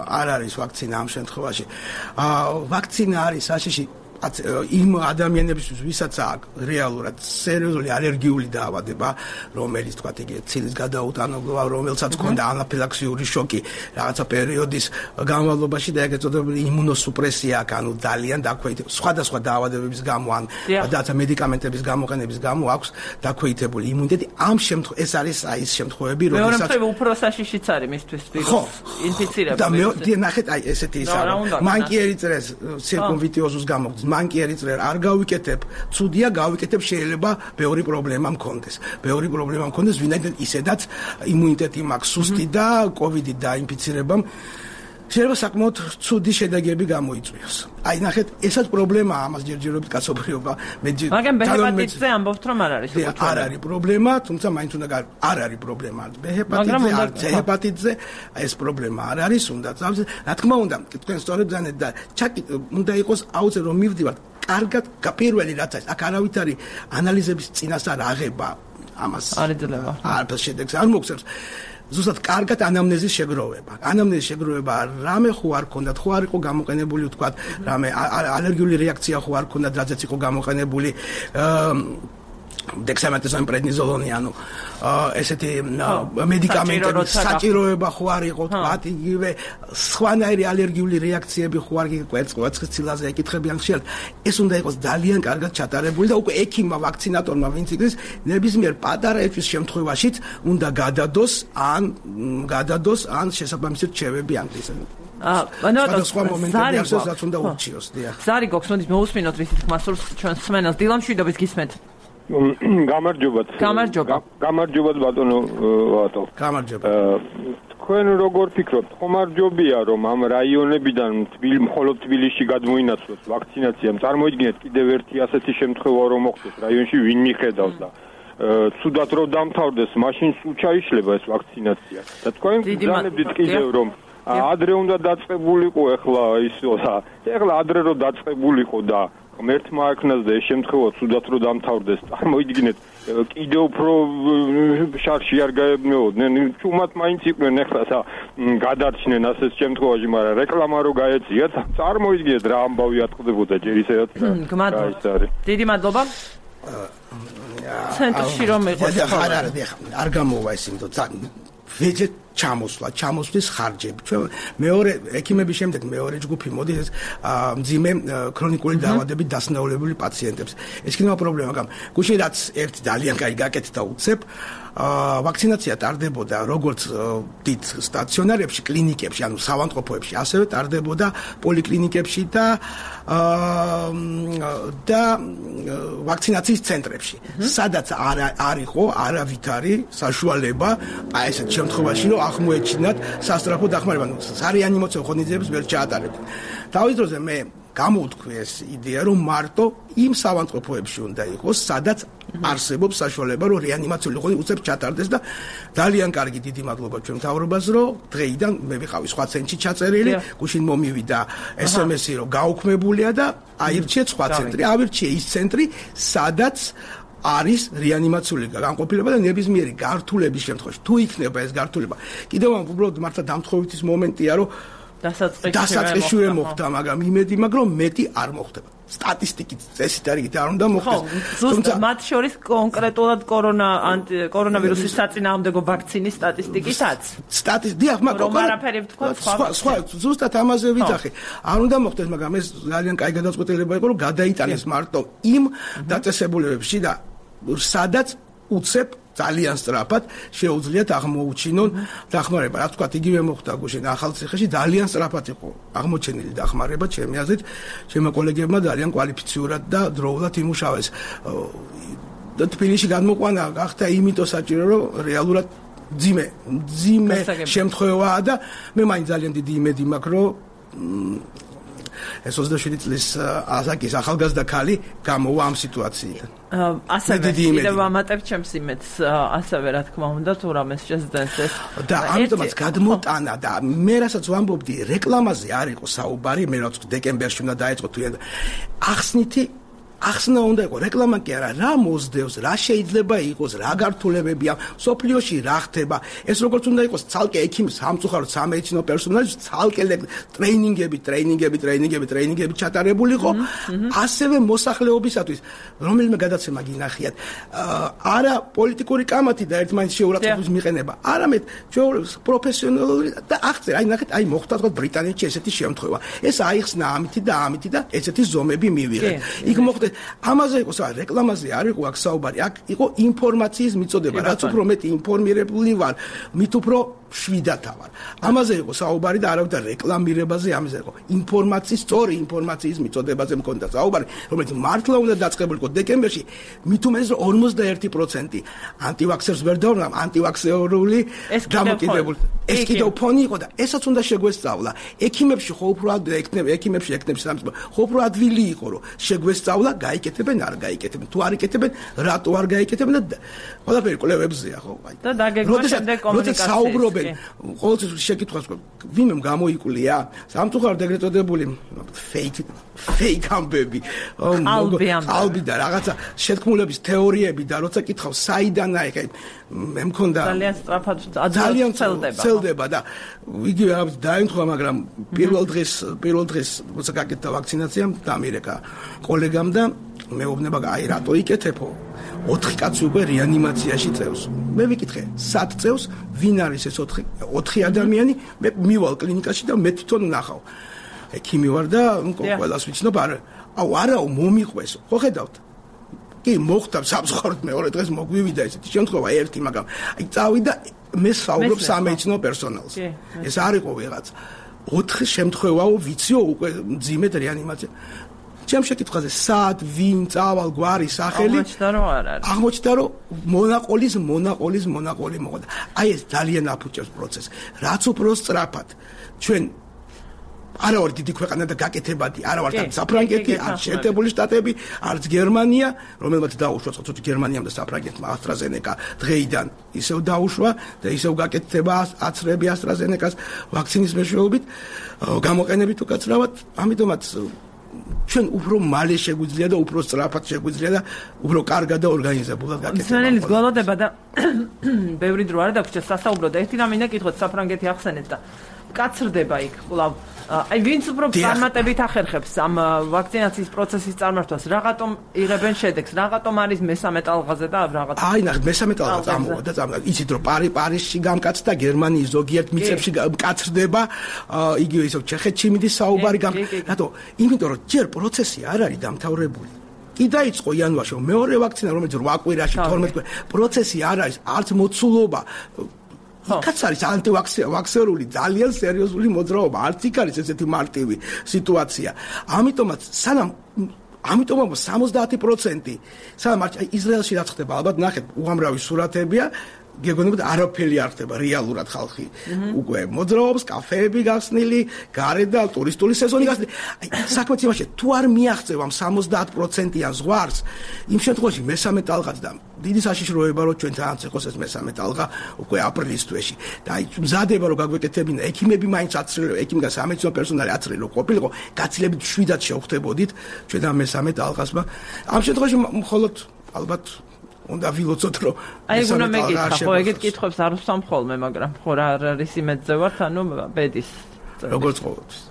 არ არის ვაქცინა ამ შემთხვევაში. აა ვაქცინა არის საშიში. იმ ადამიანებისთვის ვისაც აქვს რეალურად სერიოზული ალერგიული დაავადება, რომელიც თქვა იგი ცილის გადაუტანობა, რომელსაც ჰქონდა ანაფილაქსიური შოკი რაღაცა პერიოდის განმავლობაში და ეგ ეწოდებული იმუნოსუპრესია, ანუ ძალიან დაქვეითებული სხვადასხვა დაავადებების გამო ან რაღაცა მედიკამენტების გამოყენების გამო აქვს დაქვეითებული იმუნიტეტი. ამ შემთხვევაში ეს არის აი ის შემთხვევები, როდესაც მეორე უფრო საშიშიც არის მისთვის ვირუსის ინფიცირება. და მე ნახეთ აი ესეთი ის არის. მან კი ერიტრეს ცირკუმვიტიოზუს გამოხდის. მან კი ერიტრე არ გავიკეთებ, ცუდია გავიკეთებ, შეიძლება ბევრი პრობლემა მქონდეს. ბევრი პრობლემა მქონდეს, ვინაიდან ისედაც იმუნიტეტი მაქვს სუსტი და კოვიდით დაინფიცირებამ შეიძლება საკმაოდ ცუდი შედეგები გამოიწვიოს. აი ნახეთ, ესაც პრობლემაა, ამას ჯერჯერობით კაცობრიობა მე მაგრამ ბეჰეპატიტზე ამბობთ რომ არ არის უკვე. არ არის პრობლემა, თუმცა მაინც უნდა არ არის პრობლემა. ბეჰეპატიტზე, არ ჰეპატიტზე ეს პრობლემა არ არის, უნდა წავს. რა თქმა უნდა, თქვენ სწორედ ძანეთ და ჩაკი უნდა იყოს აუცილებლად რომ მივდივართ. კარგად, პირველი რაც არის, აქ არავით არის ანალიზების წინასწარ აღება ამას. არ ეძლევა. არ შედეგს არ მოგცემს. ზუსტად კარგად ანამნეზის შეგროვება. ანამნეზის შეგროვება რამე ხო არ ქონდათ, ხო არ იყო გამოყენებული თქვათ, რამე ალერგიული რეაქცია ხო არ ქონდათ, რადგან იყო გამოყენებული დექსამეთასონი, პრედნიზოლონი, ანუ ესეთი მედიკამენტების საჭიროება ხო არ იყო თქვათ, იგივე სხვანაირი ალერგიული რეაქციები ხო არ იყო კვერცხცილაზე ეკითხებიან ხშირად. ეს უნდა იყოს ძალიან კარგად ჩატარებული და უკვე ექიმმა, ვაქცინატორმა, ვინც იგრის, ნებისმიერ პატარა ეჭვის შემთხვევაშიც უნდა გადადოს ან გადადოს ან შესაბამისი რჩევები ანგლისად. აა, ანუ სხვა მომენტები არსებობს, რაც უნდა ურჩიოს, დიახ. ზარი გოქს, მოდი მოусმინოთ რის თქმა სურს ჩვენ სმენელს. დილამშვიდობით გისმენთ. გამარჯობათ. გამარჯობა. გამარჯობათ ბატონო ვატო. გამარჯობა. თქვენ როგორ ფიქრობთ, ხომარჯობია რომ ამ რაიონებიდან მხოლოდ თბილისში გადმოინაცვლოს ვაქცინაცია? წარმოიდგინეთ კიდევ ერთი ასეთი შემთხვევა რომ მოხდეს რაიონში, ვინ მიხედავს და ცუდად რომ დამთავრდეს, მაშინ სულ ჩაიშლება ეს ვაქცინაცია. და თქვენ გძანებდით კიდევ რომ ადრე უნდა დაწყებულიყო ახლა ისო და ახლა ადრე რომ დაწყებულიყო და ღმერთმა აქნას და ეს შემთხვევა ცუდად რომ დამთავრდეს, წარმოიდგინეთ კიდევ უფრო შარში არ გაებნეოდნენ, ჩუმად მაინც იყვნენ ახლა და გადარჩნენ ასეთ შემთხვევაში, მაგრამ რეკლამა რო გაეციათ, წარმოიდგინეთ რა ამბავი ატყდებოდა ჯერ ისედაც. გმადლობთ. დიდი მადლობა. ცენტრში რომ იყოს არ არის არ გამოვა ეს იმდო ვეჯე ჩამოსვლა, ჩამოსვლის ხარჯები. ჩვენ მეორე ექიმების შემდეგ მეორე ჯგუფი მოდის ეს მძიმე ქრონიკული დაავადებით დასნეულებული პაციენტებს. ეს კიდევ პრობლემა გამ. გუშინ რაც ერთ ძალიან კაი გაკეთდა უცებ ვაქცინაცია ტარდებოდა როგორც დიდ სტაციონარებში, კლინიკებში, ანუ საავადმყოფოებში, ასევე ტარდებოდა პოლიკლინიკებში და და ვაქცინაციის ცენტრებში. სადაც არ არისო არავითარი საშუალება აი ესეთ შემთხვევაში რომ აღმოეჩინათ სასწრაფო დახმარება, ნუ სარეანიმაციო ღონისძიებებს ვერ ჩაატარებდნენ. თავის დროზე მე გამოვთქვი ეს იდეა რომ მარტო იმ საავადმყოფოებში უნდა იყოს, სადაც არსებობს საშუალება რომ რეანიმაციული ღონისძიება უცებ ჩატარდეს და ძალიან კარგი დიდი მადლობა ჩვენ მთავრობას რომ დღეიდან მე ვიყავი სხვა ცენტრში ჩაწერილი, გუშინ მომივიდა ესემესი რომ გაუქმებულია და აირჩიეთ სხვა ცენტრი, ავირჩიე ის ცენტრი, სადაც არის რეანიმაციული განყოფილება და ნებისმიერი გართულების შემთხვევაში თუ იქნება ეს გართულება. კიდევ უბრალოდ მართლა დამთხოვითის მომენტია რომ დასაწყისშივე მოხდა, მაგრამ იმედი მაქვს რომ მეტი არ მოხდება. სტატისტიკით წესით არიგით არ უნდა მოხდეს. თუმცა მათ შორის კონკრეტულად კორონა კორონავირუსის საწინააღმდეგო ვაქცინის სტატისტიკითაც. სტატისტიკა, მაგრამ არაფერი ვთქვა სხვა. სხვა ზუსტად ამაზე ვიძახი. არ უნდა მოხდეს, მაგრამ ეს ძალიან კაი გადაწყვეტილება იყო, რომ გადაიტანეს მარტო იმ დაწესებულებებში და სადაც უცებ ძალიან სწრაფად შეუძლიათ აღმოუჩინონ დახმარება. რა თქვა, იგივე მოხდა გუშინ ახალციხეში, ძალიან სწრაფად იყო აღმოჩენილი დახმარება, ჩემი აზრით, ჩემო კოლეგებმა ძალიან კვალიფიციურად და დროულად იმუშავეს. და თბილისში გადმოყვანა გახდა იმიტომ საჭირო, რომ რეალურად ძიმე, ძიმე შემთხვევაა და მე მაინც ძალიან დიდი იმედი მაქვს, რომ ეს ოცდაშვიდი წლის ასაკის ახალგაზრდა ქალი გამოვა ამ სიტუაციიდან. ასევე კიდევ ამატებ ჩემს იმედს, ასევე რა თქმა უნდა, თუ რამეს შეძდენს ეს. და ამიტომაც გადმოტანა და მე რასაც ვამბობდი, რეკლამაზე არ იყო საუბარი, მე რაც დეკემბერში უნდა დაეწყო თუ ახსნითი ახსნა უნდა იყოს რეკლამა კი არა, რა მოსდევს, რა შეიძლება იყოს, რა გართულებებია, სოფლიოში რა ხდება. ეს როგორც უნდა იყოს ცალკე ექიმის სამწუხაროდ სამედიცინო პერსონალის ცალკე ტრეინინგები, ტრეინინგები, ტრეინინგები, ტრეინინგები ჩატარებული იყო, ასევე მოსახლეობისათვის, რომელიმე გადაცემა გინახიათ. არა პოლიტიკური კამათი და ერთმანეთს შეურაცხყოფის მიყენება, არამედ პროფესიონალური და აღწერ, აი ნახეთ, აი მოხდა თქვა ბრიტანეთში ესეთი შემთხვევა. ეს აიხსნა ამითი და ამითი და ესეთი ზომები მივიღეთ. იქ მოხდა ამაზე იყო რეკლამაზე არ იყო აქ საუბარი, აქ იყო ინფორმაციის მიწოდება, რაც უფრო მეტი ინფორმირებული ვარ, მით უფრო შვიდათ ვარ. ამაზე იყო საუბარი და არავითარ რეკლამირებაზე ამაზე იყო. ინფორმაციის, სწორი ინფორმაციის მიწოდებაზე მქონდა საუბარი, რომელიც მართლა უნდა დაწყებულიყო დეკემბერში, მით უმეტეს ორმოცდაერთი პროცენტი ანტივაქსერს ვერ დავნა, ანტივაქსერული დამოკიდებული. ეს კიდევ ფონი იყო და ესაც უნდა შეგვესწავლა. ექიმებში ხო უფრო ეკნებ, ექიმებში ეკნებს სამწუხარო. ხო უფრო ადვილი იყო, რომ შეგვესწავლა, გაიკეთებენ, არ გაიკეთებენ. თუ არ იკეთებენ, რატო არ გაიკეთებენ და ყველაფერი კვლევებზეა ხო? და დაგეგმა შემდეგ კომუნიკაცია. საუბრობენ ყოველთვის შეკითხვას ვინმე გამოიკვლია სამწუხაროდ ეგრეთ წოდებული fake fake ამბები ალბი და რაღაცა შეთქმულების თეორიები და როცა კითხავს საიდან აი მე მქონდა ძალიან სწრაფად ძალიან ცელდება და იგივე რაღაც დაემთხვა მაგრამ პირველ დღეს პირველ დღეს როცა გაკეთდა ვაქცინაცია დამირეკა კოლეგამ და მეუბნება აი რატო იკეთებო ოთხი კაცი უკვე რეანიმაციაში წევს. მე ვიკითხე, სად წევს, ვინ არის ეს ოთხი ოთხი ადამიანი? მე მივალ კლინიკაში და მე თვითონ ვნახავ. ექიმი ვარ და ყველას ვიცნობ, არა, აუ არაო მომიყვეს. ხო ხედავთ? კი, მოხდა სამწუხაროდ მეორე დღეს მოგვივიდა ესეთი შემთხვევა ერთი, მაგრამ აი წავიდა მე საუბრობ სამედიცინო პერსონალს. ეს არ იყო ვიღაც. ოთხი შემთხვევაო ვიციო უკვე მძიმედ რეანიმაცია. ჩემ შეკითხვაზე სად ვინ წავალ გვარი სახელი აღმოჩნდა რომ არ არის აღმოჩნდა რომ მონაყოლის მონაყოლის მონაყოლი მოხდა აი ეს ძალიან აფუჭებს პროცესს რაც უფრო სწრაფად ჩვენ არა ვარ დიდი ქვეყანა და გაკეთებადი არა ვარ საფრანგეთი არ შეერთებული შტატები არც გერმანია რომელმაც დაუშვა ცოტა გერმანიამ და საფრანგეთმა AstraZeneca დღეიდან ისევ დაუშვა და ისევ გაკეთდება აცრები AstraZeneca-ს ვაქცინის მეშვეობით გამოყენებით უკაცრავად ამიტომაც ჩვენ უფრო მალე შეგვიძლია და უფრო სწრაფად შეგვიძლია და უფრო კარგად და ორგანიზებულად გაკეთება. მსმენელის გველოდება და ბევრი დრო არ დაგვრჩა სასაუბრო და ერთი რამ მინდა კითხოთ საფრანგეთი ახსენეთ და კაცრდება იქ კვლავ აი ვინც უფრო წარმატებით ახერხებს ამ ვაქცინაციის პროცესის წარმართვას რაღაცომ იღებენ შედეგს რაღაცომ არის მესამე ტალღაზე და რაღაც აი ნახე მესამე ტალღა წამოვა და წამოვა იცით რომ პარი პარიზში გამკაცდა გერმანიის ზოგიერთ მიწებში კაცრდება იგივე ისევ ჩეხეთში მიდის საუბარი გამ რატო იმიტომ რომ ჯერ პროცესი არ არის დამთავრებული კი დაიწყო იანვარში მეორე ვაქცინა რომელიც რვა კვირაში თორმეტ კვირაში პროცესი არ არის არც მოცულობა იქაც არის ანტივაქსერული ძალიან სერიოზული მოძრაობა არც იქ არის ესეთი მარტივი სიტუაცია ამიტომაც სანამ ამიტომაც სამოცდაათი პროცენტი სანამ ისრაელში რაც ხდება ალბათ ნახეთ უამრავი სურათებია გეგონებოდ არაფერი არ ხდება რეალურად ხალხი უკვე მოძრაობს კაფეები გახსნილი გარეთ და ტურისტული სეზონი გახსნილი საქმეც იმაში თუ არ მიაღწევ ამ სამოცდაათ პროცენტიან ზღვარს იმ შემთხვევაში მესამე ტალღაც და დიდი საშიშროება რომ ჩვენ თანაც იყოს ეს მესამე ტალღა უკვე აპრილის თვეში და აი მზადება რომ გაგვეკეთებინა ექიმები მაინც აცრილო ექიმი და სამედიცინო პერსონალი აცრილო ყოფილიყო გაცილებით შვიდად შევხვდებოდით ჩვენ ამ მესამე ტალღასმა ამ შემთხვევაში მხოლოდ ალბათ უნდა ვილოცოთ რომ აი უნდა მეკითხა ხო ეგეთ კითხვებს არ ვსვამ ხოლმე მაგრამ ხო რა არის იმედზე ვართ ანუ ბედის როგორც ყოველთვის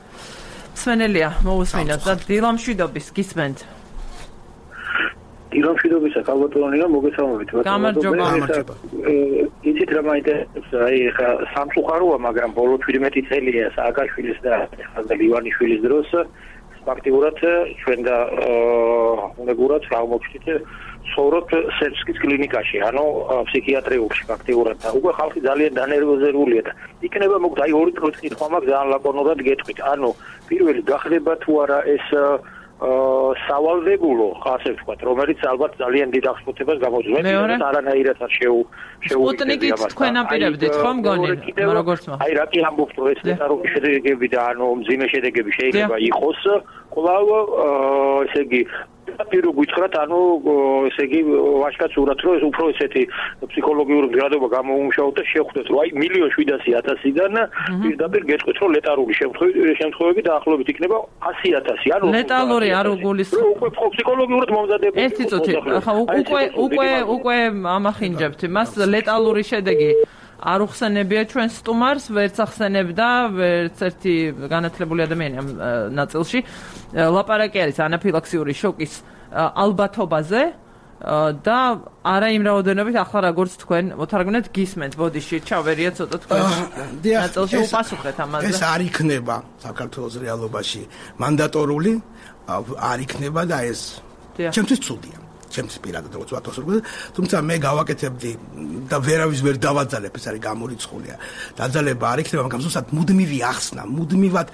მსმენელია მოусმინოთ და დილამშვიდობის გისმენთ დილამშვიდობისა ქალბატონია მოგესალმებით გამარჯობა იცით რა მაინტერესებს აი ხა სამწუხაროა მაგრამ ბოლო თვრიმეტი წელია სააკაშვილის და ხალხა ლივანიშვილის დროს ფაქტიურად ჩვენ და უნეგურად აღმოჩნდით ცხოვრობთ სერბსკის კლინიკაში, ანუ ფსიქიატრიულში ფაქტიურად და უკვე ხალხი ძალიან დანერვოზებულია და იქნება მოგდა აი ორი წუთი კითხვა მაქვს ძალიან ლაკონურად გეტყვით. ანუ პირველი გახდება თუ არა ეს სავალდებულო, ასე ვთქვათ, რომელიც ალბათ ძალიან დიდ აღსფუთებას გამოძღვენს, მაგრამ არანაირად არ შეუ შეუგებია მას. თქვენ აპირებდით ხომ გონი, როგორც მა. აი რა კი ამბობთ, რომ ეს დეტალური შედეგები და ანუ მძიმე შედეგები შეიძლება იყოს, კვლავ ესე იგი პირო გითხრათ, ანუ ესე იგი ვაჟკაცურად რომ უფრო ესეთი ფსიქოლოგიური გრადობა გამოუმუშავოთ და შევხვდეთ, რომ აი მილიონ შვიდასი ათასიდან პირდაპირ გეტყვით, რომ ლეტალური შემთხვევები დაახლოებით იქნება ასი ათასი. ანუ ლეტალური არ უგულისხმობ. უკვე ფსიქოლოგიურად მომზადებული. ერთი წუთი. ხა უკვე უკვე უკვე ამახინჯებთ იმას ლეტალური შედეგი არ უხსენებია ჩვენ სტუმარს, ვერც ახსენებდა, ვერც ერთი განათლებული ადამიანი ამ ნაწილში. ლაპარაკი არის ანაფილაქსიური შოკის ალბათობაზე და არა იმ რაოდენობით, ახლა როგორც თქვენ მოთარგმნეთ გისმენთ, ბოდიში ჩავერია ცოტა თქვენ ნაწილში უპასუხეთ ამაზე. ეს არ იქნება საქართველოს რეალობაში მანდატორული, არ იქნება და ეს ჩემთვის ცუდია. ჩემთვის პირადად როგორც ვატოს როგორ თუმცა მე გავაკეთებდი და ვერავის ვერ დავაძალებ ეს არის გამორიცხულია დაძალება არ იქნება მაგრამ ზუსტად მუდმივი ახსნა მუდმივად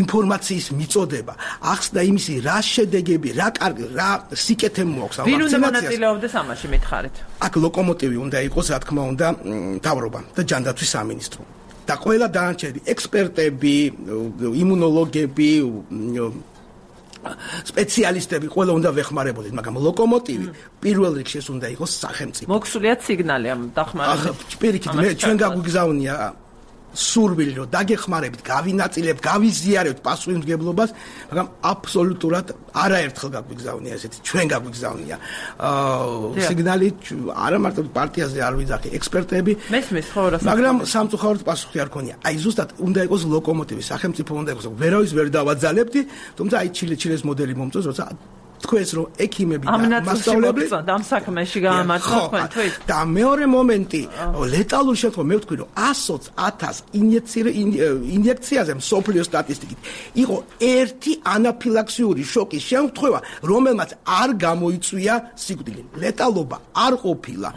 ინფორმაციის მიწოდება ახსნა იმისი რა შედეგები რა კარგი რა სიკეთე მოაქვს ამ ვაქცინაციას ვინ უნდა მონაწილეობდეს ამაში მითხარით აქ ლოკომოტივი უნდა იყოს რა თქმა უნდა მთავრობა და ჯანდაცვის სამინისტრო და ყველა დანარჩენი ექსპერტები იმუნოლოგები სპეციალისტები ყველა უნდა ვეხმარებოდეთ, მაგრამ ლოკომოტივი პირველ რიგში ეს უნდა იყოს სახელმწიფო. მოგსულიათ სიგნალი ამ დახმარებით. ახლა პირიქით მე ჩვენ გაგვიგზავნია სურვილი რომ დაგეხმარებით, გავინაწილებთ, გავიზიარებთ პასუხისმგებლობას, მაგრამ აბსოლუტურად არაერთხელ გაგვიგზავნია ესეთი ჩვენ გაგვიგზავნია. აა სიგნალი არა მარტო პარტიაზე არ ვიძახი, ექსპერტები. მესმის ხო რა. მაგრამ სამწუხაროდ პასუხი არ ქონია. აი ზუსტად უნდა იყოს ლოკომოტივი, სახელმწიფო უნდა იყოს. ვერავის ვერ დავაძალებდი, თუმცა აი ჩილე ჩილეს მოდელი მომწონს, როცა თქვენს რომ ექიმები და მასწავლებლები ამ საქმეში გაამართლა თქვენთვის და მეორე მომენტი ლეტალურ შემთხვევაში მე ვთქვი რომ ათას ათას ინjekციაზე მსოფლიო სტატისტიკით იყო ერთი ანაფილაქსიური შოკის შემთხვევა რომელმაც არ გამოიწვია სიკვდილი ლეტალობა არ ყოფილა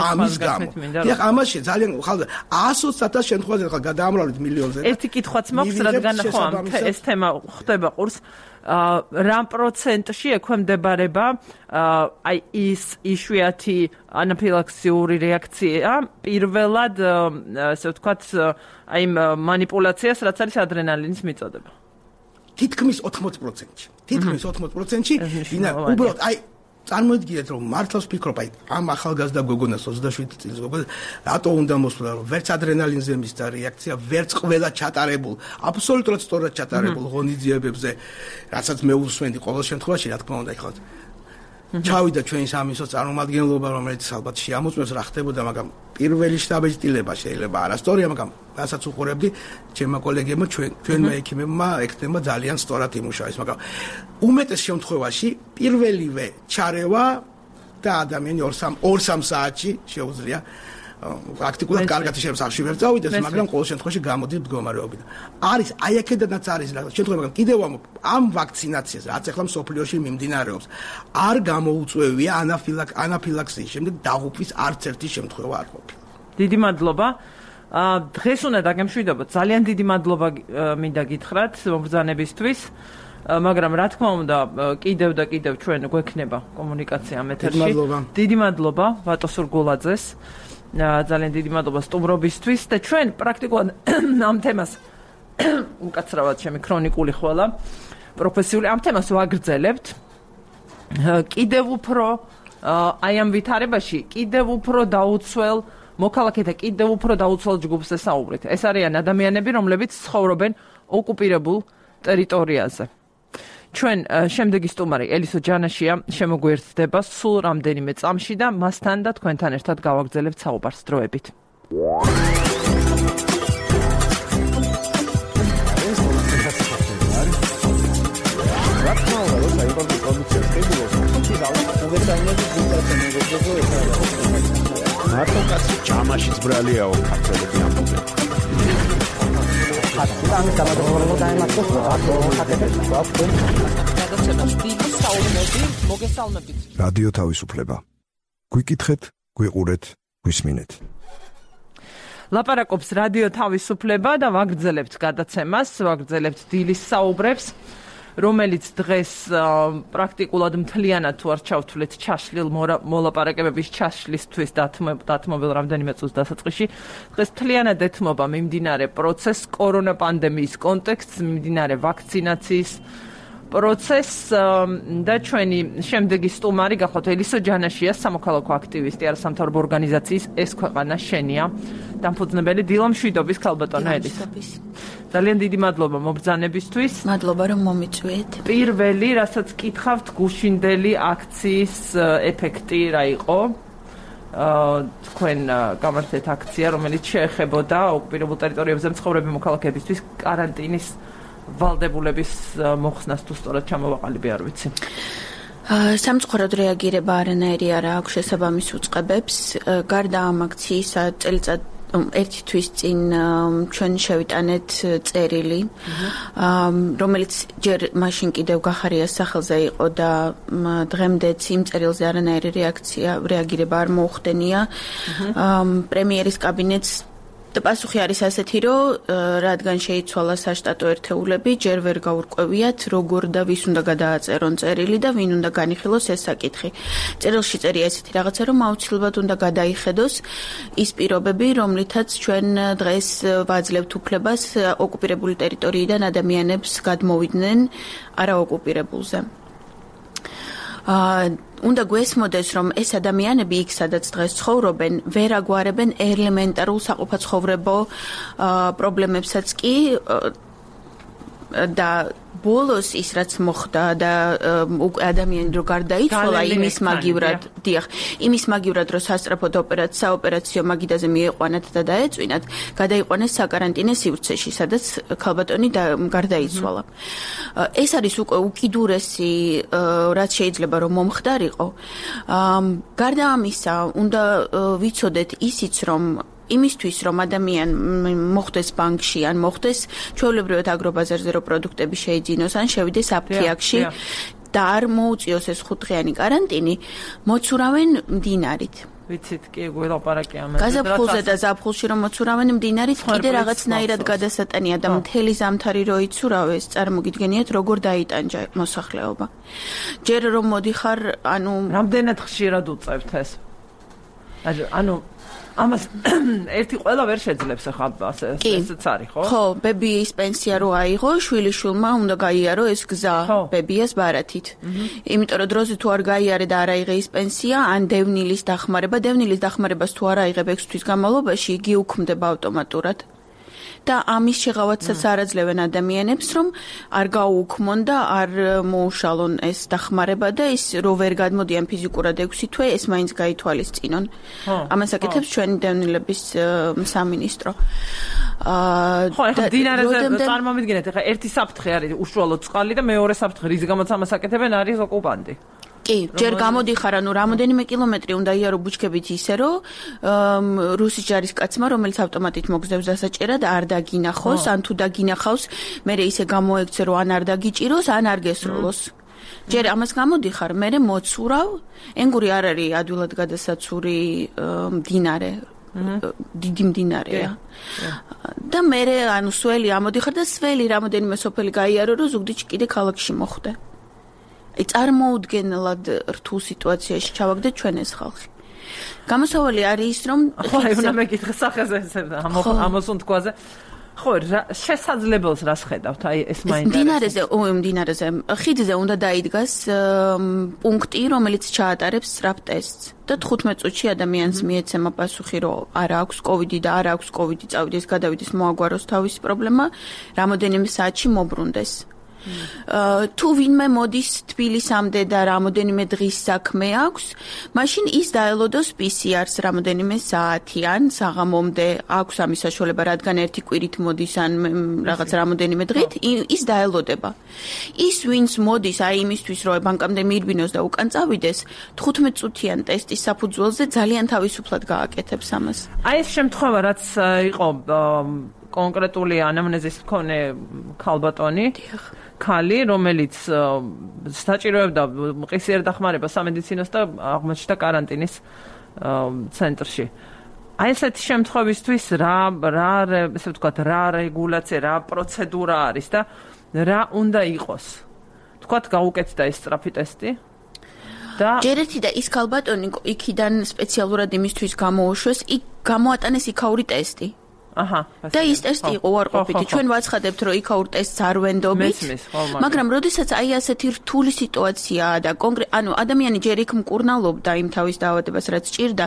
ამის გამო დიახ ამაში ძალიან ხალხი ათას ათას შემთხვევაში ხალხი გადაამრავლეთ მილიონზე ერთი კითხვაც მაქვს რადგან ხო ეს თემა ხდება ყურს რამ პროცენტში ექვემდებარება აი ის იშვიათი ანაფილაქსიური რეაქცია პირველად ასე ვთქვათ აი манипуляციას რაც არის ადრენალინის მიწოდება თითქმის ოთხმოც პროცენტში თითქმის ოთხმოც პროცენტში ვინა უბრალოდ აი წარმოიდგინეთ რომ მართლაც ვფიქრობ აი ამ ახალგაზრდა გოგონას ოცდაშვიდი წლის გოგონას რატო უნდა მოსვლა რომ ვერც ადრენალინზე მისდა რეაქცია ვერც ყველა ჩატარებულ აბსოლუტურად სწორად ჩატარებულ ღონისძიებებზე რასაც მე უსვენდი ყოველ შემთხვევაში რა თქმა უნდა ეხლა ჩავიდა ჩვენი სამინისტრო წარმომადგენლობა რომელიც ალბათ შეამოწმებს რა ხდებოდა მაგრამ პირველი შტაბეჭდილება შეიძლება არასწორია მაგრამ რასაც უყურებდი ჩემმა კოლეგებმა ჩვენ ჩვენმა ექიმებმა ექნება ძალიან სწორად იმუშავეს მაგრამ უმეტეს შემთხვევაში პირველივე ჩარევა და ადამიანი ორ სამ საათში შეუძლია პრაქტიკულად კარგად შემსახში ვერ წავიდეს მაგრამ ყოველ შემთხვევაში გამოდის მდგომარეობიდან არის აი აქედანაც არის რა შემთხვევა მაგრამ კიდევ ამ ვაქცინაციას რაც ახლა მსოფლიოში მიმდინარეობს არ გამოუწვევია ანაფილაქ ანაფილაქსიის შემდეგ დაღუპვის არც ერთი შემთხვევა არ ყოფილა დიდი მადლობა დღეს უნდა დაგემშვიდობოთ ძალიან დიდი მადლობა მინდა გითხრათ მომბრძანებისთვის მაგრამ რა თქმა უნდა კიდევ და კიდევ ჩვენ გვექნება კომუნიკაცია ამ ეთერში დიდი მადლობა ვატო სურგულაძეს ძალიან დიდი მადლობა სტუმრობისთვის და ჩვენ პრაქტიკულად ამ თემას უკაცრავად ჩემი ქრონიკული ხვალა პროფესიული ამ თემას ვაგრძელებთ კიდევ უფრო აი ამ ვითარებაში კიდევ უფრო დაუცველ მოქალაქეთა კიდევ უფრო დაუცველ ჯგუფს ესაუბრეთ ეს არიან ადამიანები რომლებიც ცხოვრობენ ოკუპირებულ ტერიტორიაზე ჩვენ შემდეგი სტუმარი ელისო ჯანაშია შემოგვიერთდება სულ რამდენიმე წამში და მასთან და თქვენთან ერთად გავაგრძელებთ საუბარს დროებით. მარტო კაცი ჯამაშიც ბრალიაო ქართველები ამბობენ. ამის გამოგონებულ დაემართოს რადიო თავისუფლება გვიკითხეთ გვიყურეთ გვისმინეთ ლაპარაკობს რადიო თავისუფლება და ვაგრძელებთ გადაცემას ვაგრძელებთ დილის საუბრებს რომელიც დღეს პრაქტიკულად მთლიანად თუ არ ჩავთვლეთ ჩაშლილ მოლაპარაკებების ჩაშლისთვის დათმობილ რამდენიმე წუთის დასაწყისში დღეს მთლიანად ეთმობა მიმდინარე პროცესს კორონა პანდემიის კონტექსტს მიმდინარე ვაქცინაციის პროცესს და ჩვენი შემდეგი სტუმარი გახლავთ ელისო ჯანაშია, სამოქალაქო აქტივისტი, არასამთავრობო ორგანიზაციის ეს ქვეყანა შენია დამფუძნებელი დილა მშვიდობის ქალბატონო ელისო. ძალიან დიდი მადლობა მობრძანებისთვის. მადლობა რომ მომიწვიეთ. პირველი, რასაც კითხავთ, გუშინდელი აქციის ეფექტი რა იყო? თქვენ გამართეთ აქცია, რომელიც შეეხებოდა ოკუპირებულ ტერიტორიებზე მცხოვრები მოქალაქეებისთვის კარანტინის ვალდებულების მოხსნას თუ სწორად ჩამოვაყალიბე არ ვიცი. სამწუხაროდ რეაგირება არანაირი არ აქვს შესაბამის უწყებებს. გარდა ამ აქციისა წელიწად ერთი თვის წინ ჩვენ შევიტანეთ წერილი, რომელიც ჯერ მაშინ კიდევ გახარიას სახელზე იყო და დღემდეც იმ წერილზე არანაირი რეაქცია, რეაგირება არ მოუხდენია. პრემიერის კაბინეტს და პასუხი არის ასეთი, რომ რადგან შეიცვალა საშტატო ერთეულები, ჯერ ვერ გაურკვევიათ, როგორ და ვის უნდა გადააწერონ წერილი და ვინ უნდა განიხილოს ეს საკითხი. წერილში წერია ესეთი რაღაცა, რომ აუცილებლად უნდა გადაიხედოს ის პირობები, რომლითაც ჩვენ დღეს ვაძლევთ უფლებას ოკუპირებული ტერიტორიიდან ადამიანებს გადმოვიდნენ არაოკუპირებულზე. უნდა გვესმოდეს, რომ ეს ადამიანები იქ, სადაც დღეს ცხოვრობენ, ვერ აგვარებენ ელემენტარულ საყოფაცხოვრებო პრობლემებსაც კი და ბოლოს ის რაც მოხდა და ადამიანი რო გარდაიცვალა იმის მაგივრად, დიახ, იმის მაგივრად რო სასწრაფოდ ოპერაცია, საოპერაციო მაგიდაზე მieყვანათ და დაეწვინათ, გადაიყვანეს საკარანტინე სივრცეში, სადაც ქალბატონი გარდაიცვალა. ეს არის უკვე უკიდურესი, რაც შეიძლება რომ მომხდარიყო. გარდა ამისა, უნდა ვიცოდეთ ისიც, რომ იმისთვის რომ ადამიან მოხდეს ბანკში ან მოხდეს ჩვეულებრივად აგრობაზარზე რო პროდუქტები შეიძინოს ან შევიდეს აფთიაქში და არ მოუწიოს ეს ხუთდღიანი კარანტინი, მოცურავენ მდინარით. ვიცით კი გველაპარაკი ამაზე. გაზაფხულზე და ზაფხულში რომ მოცურავენ მდინარით, კიდე რაღაცნაირად გადასატანია და მთელი ზამთარი რო იცურავეს, წარმოგიდგენიათ როგორ დაიტანჯა მოსახლეობა. ჯერ რომ მოდიხარ, ანუ რამდენად ხშირად უწევთ ეს? ანუ ამას ერთი ყველა ვერ შეძლებს ახლა ასე ესეც არის ხო? ხო, ბებიის პენსია რო აიღო, შვილიშვილმა უნდა გაიარო ეს გზა ბებიას ბარათით. იმიტომ რომ დროზე თუ არ გაიარე და არ აიღე ის პენსია, ან დევნილის დახმარება, დევნილის დახმარებას თუ არ აიღებ ექვსი თვის განმავლობაში, იგი უქმდება ავტომატურად. და ამის შეღავათსაც არაძლევენ ადამიანებს, რომ არ გაუუქმონ და არ მოუშალონ ეს დახმარება და ის რო ვერ გადმოდიან ფიზიკურად ექვსი თვე, ეს მაინც გაითვალისწინონ. ამას აკეთებს ჩვენი დევნილების სამინისტრო. ხო, ახლა დინარეზე წარმომიდგინეთ, ახლა ერთი საფრთხე არის უშუალოდ წყალი და მეორე საფრთხე, რის გამოც ამას აკეთებენ, არის ოკუპანტი. კი, ჯერ გამოდიხარ, ანუ რამოდენიმე კილომეტრი უნდა იარო ბუჩქებით ისე, რომ რუსის ჯარისკაცმა, რომელიც ავტომატით მოგზდებს დასაჭერად, არ დაგინახოს, ან თუ დაგინახავს, მერე ისე გამოექცე, რომ ან არ დაგიჭიროს, ან არ გესროლოს. ჯერ ამას გამოდიხარ, მერე მოცურავ, ენგური არ არის ადვილად გადასაცური მდინარე. დიდი მდინარეა. და მერე ანუ სველი ამოდიხარ და სველი რამოდენიმე სოფელი გაიარო, რომ ზუგდიდში კიდე ქალაქში მოხვდე. წარმოუდგენლად რთულ სიტუაციაში ჩავაგდეთ ჩვენ ეს ხალხი. გამოსავალი არის ის, რომ ხო, უნდა მეკითხე სახეზე ამოსუნ თქვაზე. ხო, შესაძლებელს რას ხედავთ? აი ეს მაინტერესებს. მდინარეზე, ო, მდინარეზე, ხიდზე უნდა დაიდგას პუნქტი, რომელიც ჩაატარებს სწრაფ ტესტს. და თხუთმეტ წუთში ადამიანს მიეცემა პასუხი, რომ არ აქვს კოვიდი და არ აქვს კოვიდი, წავიდეს, გადავიდეს, მოაგვაროს თავისი პრობლემა, რამოდენიმე საათში მობრუნდეს. თუ ვინმე მოდის თბილისამდე და რამოდენიმე დღის საქმე აქვს, მაშინ ის დაელოდოს პი სი არს რამოდენიმე საათი ან საღამომდე აქვს ამის საშუალება, რადგან ერთი კვირით მოდის ან რაღაც რამოდენიმე დღით, ის დაელოდება. ის ვინც მოდის აი იმისთვის, რომ ბანკამდე მიირბინოს და უკან წავიდეს, თხუთმეტ წუთიან ტესტის საფუძველზე ძალიან თავისუფლად გააკეთებს ამას. აი ეს შემთხვევა, რაც იყო კონკრეტული ანამნეზის მქონე ქალბატონი, ქალი, რომელიც საჭიროებდა მყისიერ დახმარებას სამედიცინოს და აღმოჩნდა კარანტინის ცენტრში. აი ესეთი შემთხვევისთვის რა რა ესე ვთქვათ, რა რეგულაცია, რა პროცედურა არის და რა უნდა იყოს? ვთქვათ, გაუკეთდა ეს სწრაფი ტესტი? და ჯერ ერთი და ის ქალბატონი იქიდან სპეციალურად იმისთვის გამოუშვეს, იქ გამოატანეს იქაური ტესტი. აჰა. და ის ტესტი იყო უარყოფითი. ჩვენ ვაცხადებთ, რომ იქაურ ტესტს არ ვენდობით. მაგრამ როდესაც აი ასეთი რთული სიტუაციაა და კონკრეტ ანუ ადამიანი ჯერ იქ მკურნალობდა იმ თავის დაავადებას, რაც ჭირდა,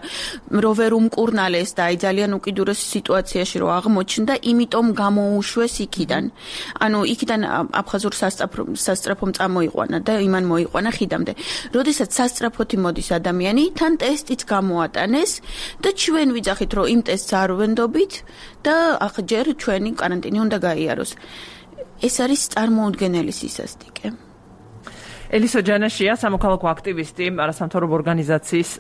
რომ ვერ უმკურნალეს და აი ძალიან უკიდურეს სიტუაციაში რომ აღმოჩნდა, იმიტომ გამოუშვეს იქიდან. ანუ იქიდან აფხაზურ სასწრაფომ წამოიყვანა და იმან მოიყვანა ხიდამდე. როდესაც სასწრაფოთი მოდის ადამიანი, თან ტესტიც გამოატანეს და ჩვენ ვიძახით, რომ იმ ტესტს არ ვენდობით და ახლა ჯერ ჩვენი каранტინი უნდა გაიაროს. ეს არის წარმოუდგენელი სისასტიკე. ელისო ჯანაშია, სამოქალაქო აქტივისტი, არასამთავრობო ორგანიზაციის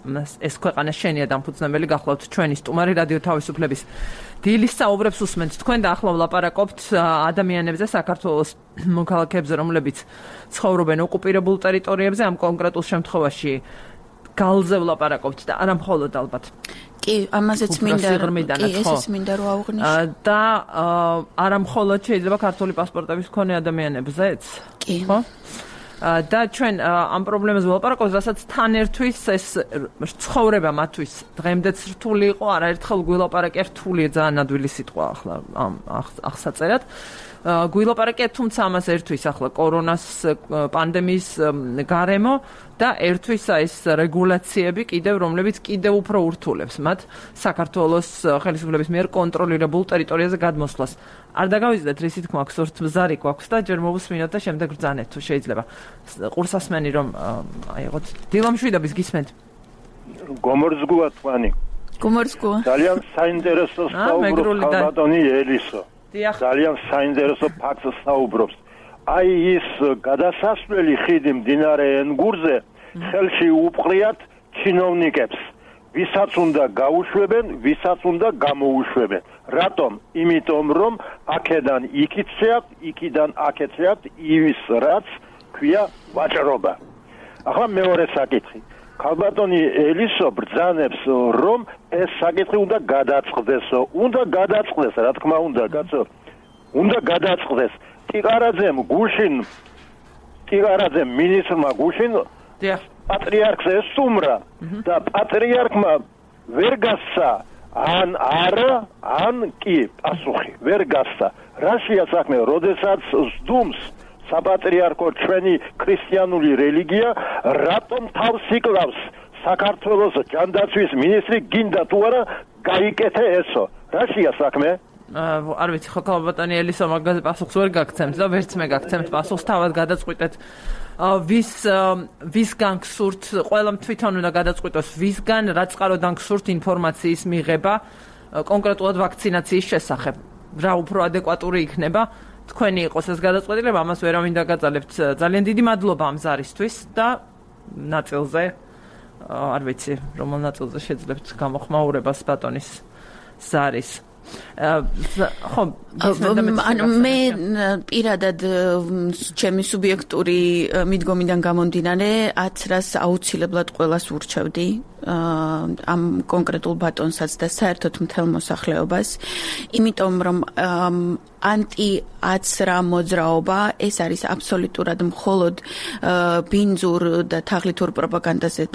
ეს ქვეყანა შენია დამფუძნებელი, გახლავთ ჩვენი სტუმარი რადიო თავისუფლების დილის საუბრებს უსმენთ თქვენ და ახლა ვლაპარაკობთ ადამიანებზე საქართველოს მოქალაქეებზე, რომლებიც ცხოვრობენ ოკუპირებულ ტერიტორიებზე, ამ კონკრეტულ შემთხვევაში გალზე ვლაპარაკობთ და არა მხოლოდ ალბათ. კი, ამაზეც მინდა კი, ესეც მინდა რომ აღვნიშნო. და არა მხოლოდ შეიძლება ქართული პასპორტების მქონე ადამიანებზეც? კი. ხო? და ჩვენ ამ პრობლემაზე ვლაპარაკობთ, რასაც თან ერთვის ეს ცხოვრება მათთვის დღემდეც რთული იყო, არაერთხელ გვილაპარაკე რთულია ძალიან ადვილი სიტყვა ახლა ამ ახსაწერად. გვილაპარაკე, თუმცა ამას ერთვის ახლა კორონას პანდემიის გარემო და ერთვის ეს რეგულაციები კიდევ, რომლებიც კიდევ უფრო ურთულებს მათ საქართველოს ხელისუფლების მიერ კონტროლირებულ ტერიტორიაზე გადმოსვლას. არ დაგავიწყდეთ, რისი თქმა აქვს, ვართ მზარი გვაქვს და ჯერ მოვუსმინოთ და შემდეგ ბრძანეთ თუ შეიძლება. ყურსასმენი რომ აიღოთ. დილამშვიდობის გისმენთ. გომორძგუა თქვენი. გომორძგუა. ძალიან საინტერესო საუბრობს ხალბატონი ელისო. ძალიან საინტერესო ფაქტს საუბრობს. აი ის გადასასვლელი ხიდი მდინარე ენგურზე ხელში უპყრიათ ჩინოვნიკებს. ვისაც უნდა გაუშვებენ, ვისაც უნდა გამოუშვებენ. რატომ? იმიტომ რომ აქედან იქიცეათ, იქიდან აქეცეათ ის რაც ქვია ვაჭრობა. ახლა მეორე საკითხი. ხალბატონი ელისო ბრძანებს რომ ეს საკითხი უნდა გადაწყდესო. უნდა გადაწყდეს, რა თქმა უნდა, კაცო. უნდა გადაწყდეს. ტიყარაძემ გუშინ ტიყარაძემ მინისტრმა გუშინ პატრიარქს ესტუმრა და პატრიარქმა ვერ გასცა ან არა, ან კი პასუხი ვერ გასცა. რაშია საქმე, როდესაც სდუმს საპატრიარქო ჩვენი ქრისტიანული რელიგია, რატომ თავს იკლავს საქართველოს ჯანდაცვის მინისტრი, გინდა თუ არა გაიკეთე ესო. რაშია საქმე? არ ვიცი, ხო ხალბატონი ელისო მაგაზე პასუხს ვერ გაგცემთ და ვერც მე გაგცემთ პასუხს, თავად გადაწყვიტეთ ვის ვისგან გსურთ, ყველამ თვითონ უნდა გადაწყვიტოს ვისგან, რა წყაროდან გსურთ ინფორმაციის მიღება კონკრეტულად ვაქცინაციის შესახებ. რა უფრო ადეკვატური იქნება თქვენი იყოს ეს გადაწყვეტილება, ამას ვერავინ დაგაწალებთ. ძალიან დიდი მადლობა ამ ზარისთვის და ნაწილზე არ ვიცი, რომელ ნაწილზე შეძლებთ გამოხმაურებას ბატონის ზარის. ხო, ანუ მე პირადად ჩემი სუბიექტური მიდგომიდან გამომდინარე აცრას აუცილებლად ყველას ურჩევდი ამ კონკრეტულ ბატონსაც და საერთოდ მთელ მოსახლეობას, იმიტომ რომ ანტი აცრა მოძრაობა ეს არის აბსოლუტურად მხოლოდ ბინძურ და თაღლითურ პროპაგანდაზე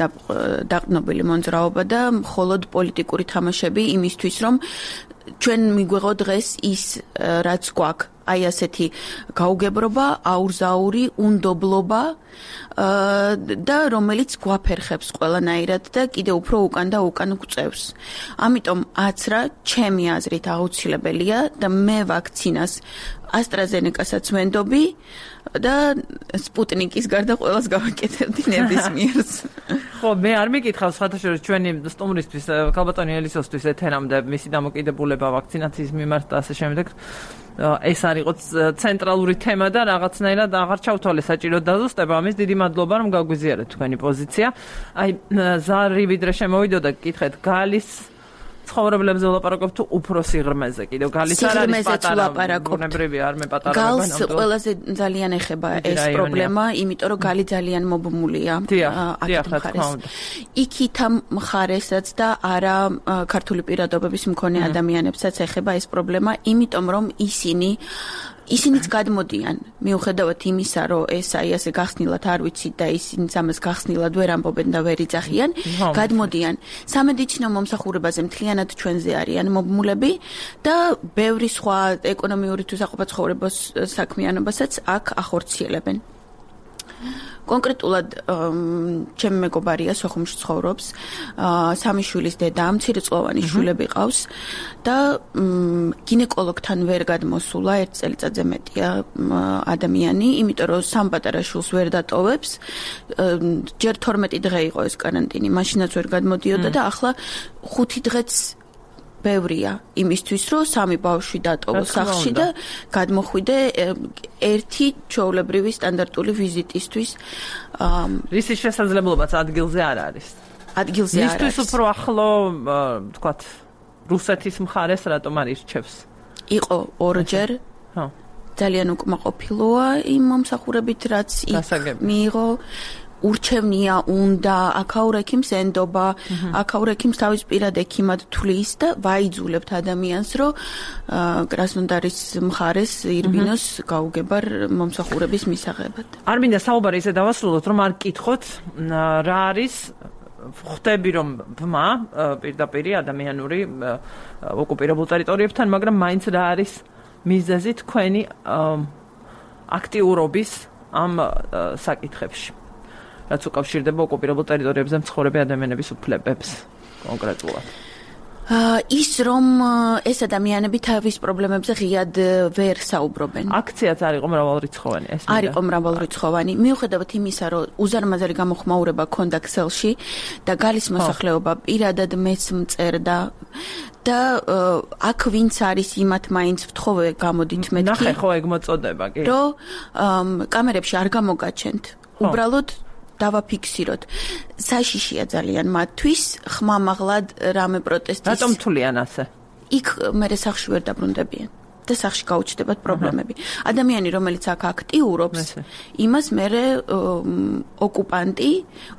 დაყრდნობილი მოძრაობა და მხოლოდ პოლიტიკური თამაშები იმისთვის, რომ ჩვენ მიგვეღო დღეს ის რაც გვაქვს, აი ასეთი გაუგებრობა, აურზაური, უნდობლობა და რომელიც გვაფერხებს ყველანაირად და კიდე უფრო უკან და უკან გვწევს. ამიტომ აცრა ჩემი აზრით აუცილებელია და მე ვაქცინას AstraZeneca-საც ვენდობი და სპუტნიკის გარდა ყველას გავაკეთებდი ნებისმიერს. ხო, მე არ მიკითხავს ხათაშორის ჩვენი სტუმრისთვის, ხალბატონი ელისოსთვის ეთერამდე მისი დამოკიდებულება ვაქცინაციის მიმართ და ასე შემდეგ. ეს არ იყო ცენტრალური თემა და რაღაცნაირად აღარ ჩავთვალე საჭირო დაზუსტება. ამის დიდი მადლობა რომ გაგვიზიარეთ თქვენი პოზიცია. აი ზარი ვიდრე შემოვიდოდა გკითხეთ გალის ცხოვრებლებზე ვლაპარაკობ თუ უფრო სიღრმეზე კიდევ გალის არ არის პატარა ბუნებრივი არ მე პატარა გალს ყველაზე ძალიან ეხება ეს პრობლემა, იმიტომ რომ გალი ძალიან მობმულია აქ მხარეს. იქით მხარესაც და არა ქართული პირადობების მქონე ადამიანებსაც ეხება ეს პრობლემა, იმიტომ რომ ისინი ისინიც გადმოდიან, მიუხედავად იმისა, რომ ეს აი ასე გახსნილად არ ვიცით და ისინიც ამას გახსნილად ვერ ამბობენ და ვერ იძახიან, გადმოდიან. სამედიცინო მომსახურებაზე მთლიანად ჩვენზე არიან მობმულები და ბევრი სხვა ეკონომიური თუ საყოფაცხოვრებო საქმიანობასაც აქ ახორციელებენ. კონკრეტულად ჩემი მეგობარია სოხუმში ცხოვრობს, სამი შვილის დედა, მცირეწლოვანი შვილები ყავს და გინეკოლოგთან ვერ გადმოსულა ერთ წელიწადზე მეტია ადამიანი, იმიტომ რომ სამ პატარა შვილს ვერ დატოვებს. ჯერ თორმეტი დღე იყო ეს каранტინი, მაშინაც ვერ გადმოდიოდა და ახლა ხუთი დღეც ბევრია იმისთვის, რომ სამი ბავშვი დატოვოს სახლში და გადმოხვიდე ერთი ჩვეულებრივი სტანდარტული ვიზიტისთვის. რის შესაძლებლობაც ადგილზე არ არის. ადგილზე არ არის. მისთვის უფრო ახლო, თქვათ, რუსეთის მხარეს რატომ არ ირჩევს? იყო ორჯერ. ხო. ძალიან უკმაყოფილოა იმ მომსახურებით, რაც მიიღო. ურჩევნია უნდა აქაურექიმს ენდობა, აქაურექიმს თავის პირად ექიმად თვლის და ვაიძულებთ ადამიანს, რომ კრასნოდარის მხარეს ირბინოს გაუგებარ მომსახურების მისაღებად. არ მინდა საუბარი ისე დავასრულოთ, რომ არ გკითხოთ რა არის ხვდები რომ ბმა პირდაპირი ადამიანური ოკუპირებულ ტერიტორიებთან, მაგრამ მაინც რა არის მიზეზი თქვენი აქტიურობის ამ საკითხებში. რაც უკავშირდება ოკუპირებულ ტერიტორიებზე მცხოვრები ადამიანების უფლებებს კონკრეტულად. ის რომ ეს ადამიანები თავის პრობლემებზე ღიად ვერ საუბრობენ. აქციაც არ იყო მრავალრიცხოვანი ეს. არ იყო მრავალრიცხოვანი. მიუხედავად იმისა, რომ უზარმაზარი გამოხმაურება ქონდა ქსელში და გალის მოსახლეობა პირადად მეც მწერდა და აქ ვინც არის იმათ მაინც ვთხოვე გამოდით მეთქი. ნახე ხო ეგ მოწოდება კი. რომ კამერებში არ გამოგაჩენთ. უბრალოდ დავაფიქსიროთ. საშიშია ძალიან მათთვის ხმამაღლად რამე პროტესტის. რატომ თვლიან ასე? იქ მე სახში ვერ დაბრუნდებიან და სახში გაუჩნდებათ პრობლემები. ადამიანი, რომელიც აქ აქტიურობს, იმას მე ოკუპანტი,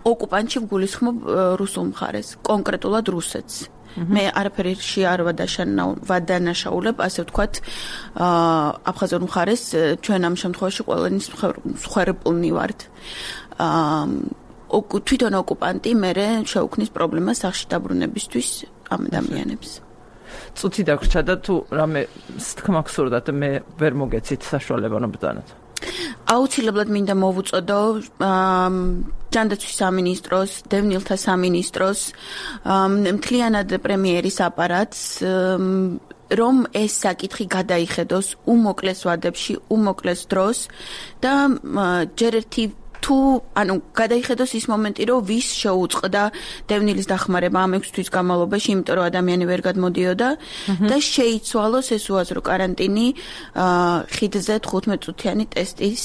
ოკუპანტში ვგულისხმობ რუსულ მხარეს, კონკრეტულად რუსეთს. მე არაფერში არ ვადანაშაულებ, ასე ვთქვათ, აფხაზურ მხარეს, ჩვენ ამ შემთხვევაში ყველანი მსხვერპლნი ვართ. თვითონ ოკუპანტი მე შეუქმნის პრობლემას სახში დაბრუნებისთვის ამ ადამიანებს. წუთი დაგვრჩა და თუ რამე თქმა გსურდათ მე ვერ მოგეცით საშუალება რომ ბრძანოთ. აუცილებლად მინდა მოვუწოდო ჯანდაცვის სამინისტროს, დევნილთა სამინისტროს, მთლიანად პრემიერის აპარატს, რომ ეს საკითხი გადაიხედოს უმოკლეს ვადებში, უმოკლეს დროს და ჯერ ერთი თუ ანუ გადაიხედოს ის მომენტი, რომ ვის შეუწყდა დევნილის დახმარება ამ ექვს თვის განმავლობაში, იმიტომ რომ ადამიანი ვერ გადმოდიოდა და შეიცვალოს ეს უაზრო каранტინი ხიდზე თხუთმეტ წუთიანი ტესტის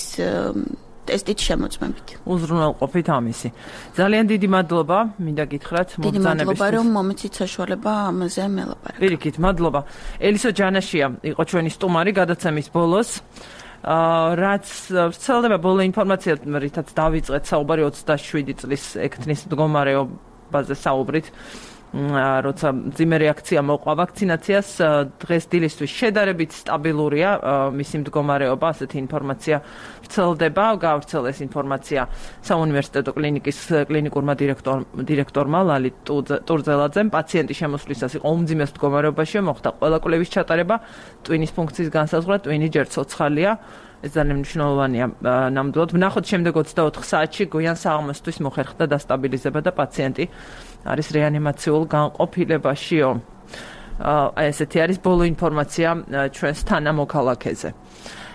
ტესტით შემოწმებით. უზრუნველყოფით ამისი. ძალიან დიდი მადლობა, მინდა გითხრათ მოგზანებისთვის. დიდი მადლობა, რომ მომეცით საშუალება ამაზე მელაპარაკო. პირიქით, მადლობა. ელისო ჯანაშია იყო ჩვენი სტუმარი გადაცემის ბოლოს. რაც ვრცელდება ბოლო ინფორმაცია, რითაც დავიწყეთ საუბარი ოცდაშვიდი წლის ექთნის მდგომარეობაზე საუბრით, როცა მძიმე რეაქცია მოყვა ვაქცინაციას, დღეს დილისთვის შედარებით სტაბილურია მისი მდგომარეობა, ასეთი ინფორმაცია ვრცელდება, გავრცელეს ინფორმაცია საუნივერსიტეტო კლინიკის კლინიკურმა დირექტორმა ლალი ტურძელაძემ, პაციენტი შემოსვლისას იყო უმძიმეს მდგომარეობაში, მოხდა ყველა კვლევის ჩატარება, ტვინის ფუნქციის განსაზღვრა, ტვინი ჯერ ცოცხალია. ეს ძალიან მნიშვნელოვანია ნამდვილად. ვნახოთ შემდეგ ოცდაოთხ საათში გვიან საღამოსთვის მოხერხდა დასტაბილიზება და პაციენტი არის რეანიმაციულ განყოფილებაშიო. აი ესეთი არის ბოლო ინფორმაცია ჩვენს თანამოქალაქეზე.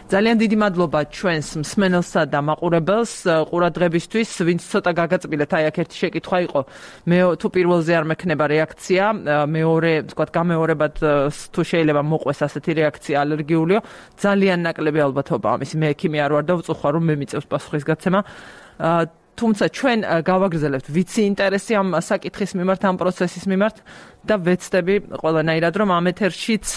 ძალიან დიდი მადლობა ჩვენს მსმენელსა და მაყურებელს ყურადღებისთვის, ვინც ცოტა გაგაწბილეთ, აი აქ ერთი შეკითხვა იყო, მე თუ პირველზე არ მექნება რეაქცია, მეორე, ვთქვათ, გამეორებად თუ შეიძლება მოყვეს ასეთი რეაქცია ალერგიულიო, ძალიან ნაკლები ალბათობა ამის. მე ექიმი არ ვარ და ვწუხარ რომ მე მიწევს პასუხისგაცემა. თუმცა ჩვენ გავაგრძელებთ ვიცი ინტერესი ამ საკითხის მიმართ, ამ პროცესის მიმართ და ვეცდები ყველანაირად რომ ამ ეთერშიც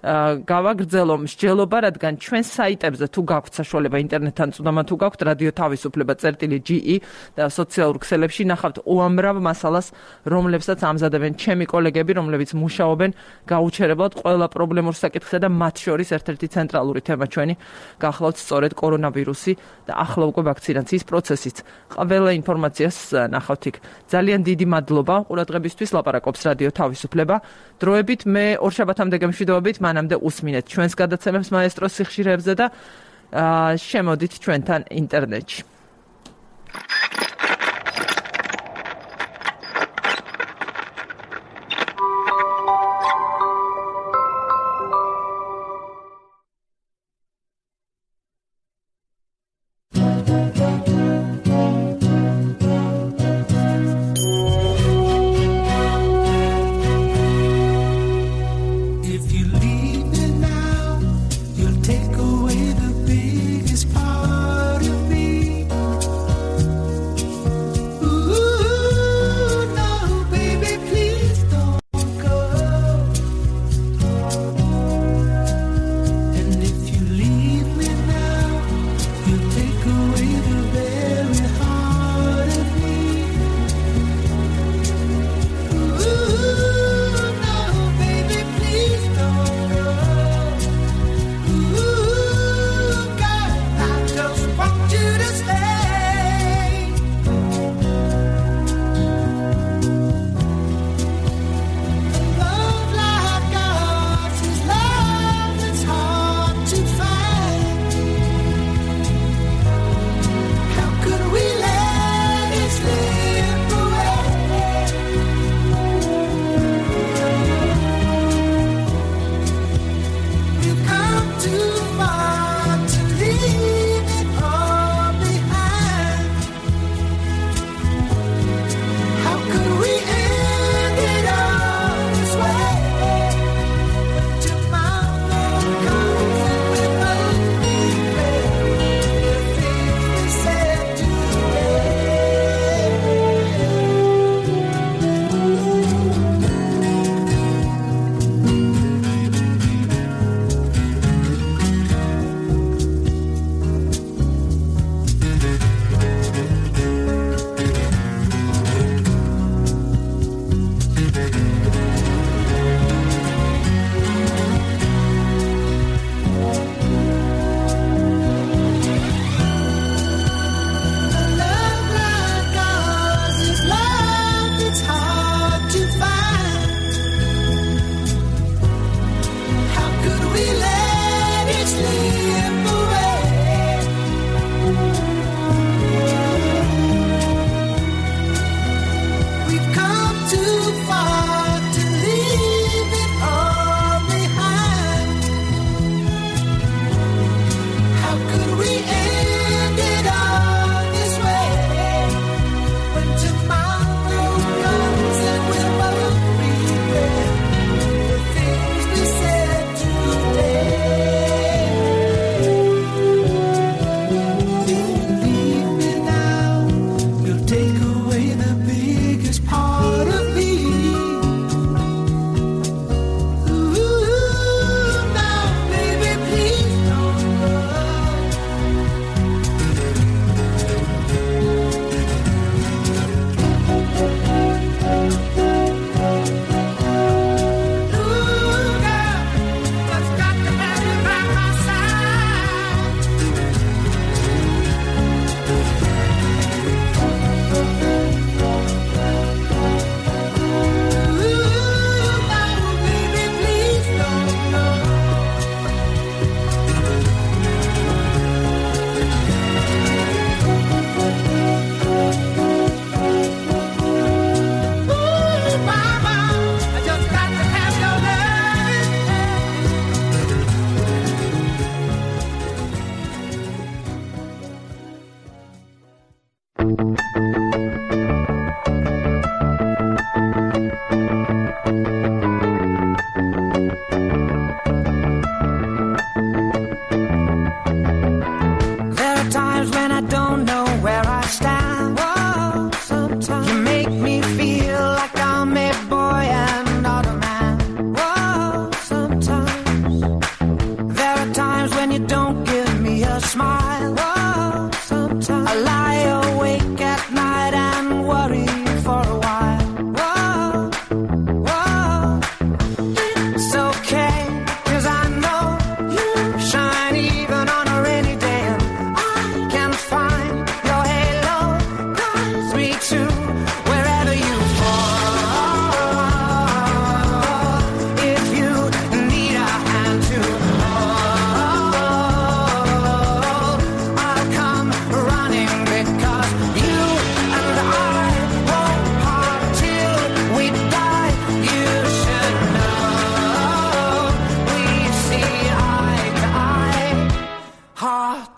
გავაგრძელო მსჯელობა, რადგან ჩვენ საიტებზე თუ გაქვთ საშუალება ინტერნეტთან წვდომა თუ გაქვთ რადიო თავისუფლება წერტილი ჯი ი და სოციალურ ქსელებში ნახავთ უამრავ მასალას, რომლებსაც ამზადებენ ჩემი კოლეგები, რომლებიც მუშაობენ გაუჩერებლად ყველა პრობლემურ საკითხზე და მათ შორის ერთ-ერთი ცენტრალური თემა ჩვენი გახლავთ სწორედ კორონავირუსი და ახლა უკვე ვაქცინაციის პროცესიც. ყველა ინფორმაციას ნახავთ იქ. ძალიან დიდი მადლობა ყურადღებისთვის. ლაპარაკობს რადიო თავისუფლება. დროებით მე ორშაბათამდე გემშვიდობებით, მანამდე უსმინეთ ჩვენს გადაცემებს მაესტროს სიხშირეებზე და შემოდით ჩვენთან ინტერნეტში. Take away the biggest part of me.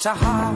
Sahar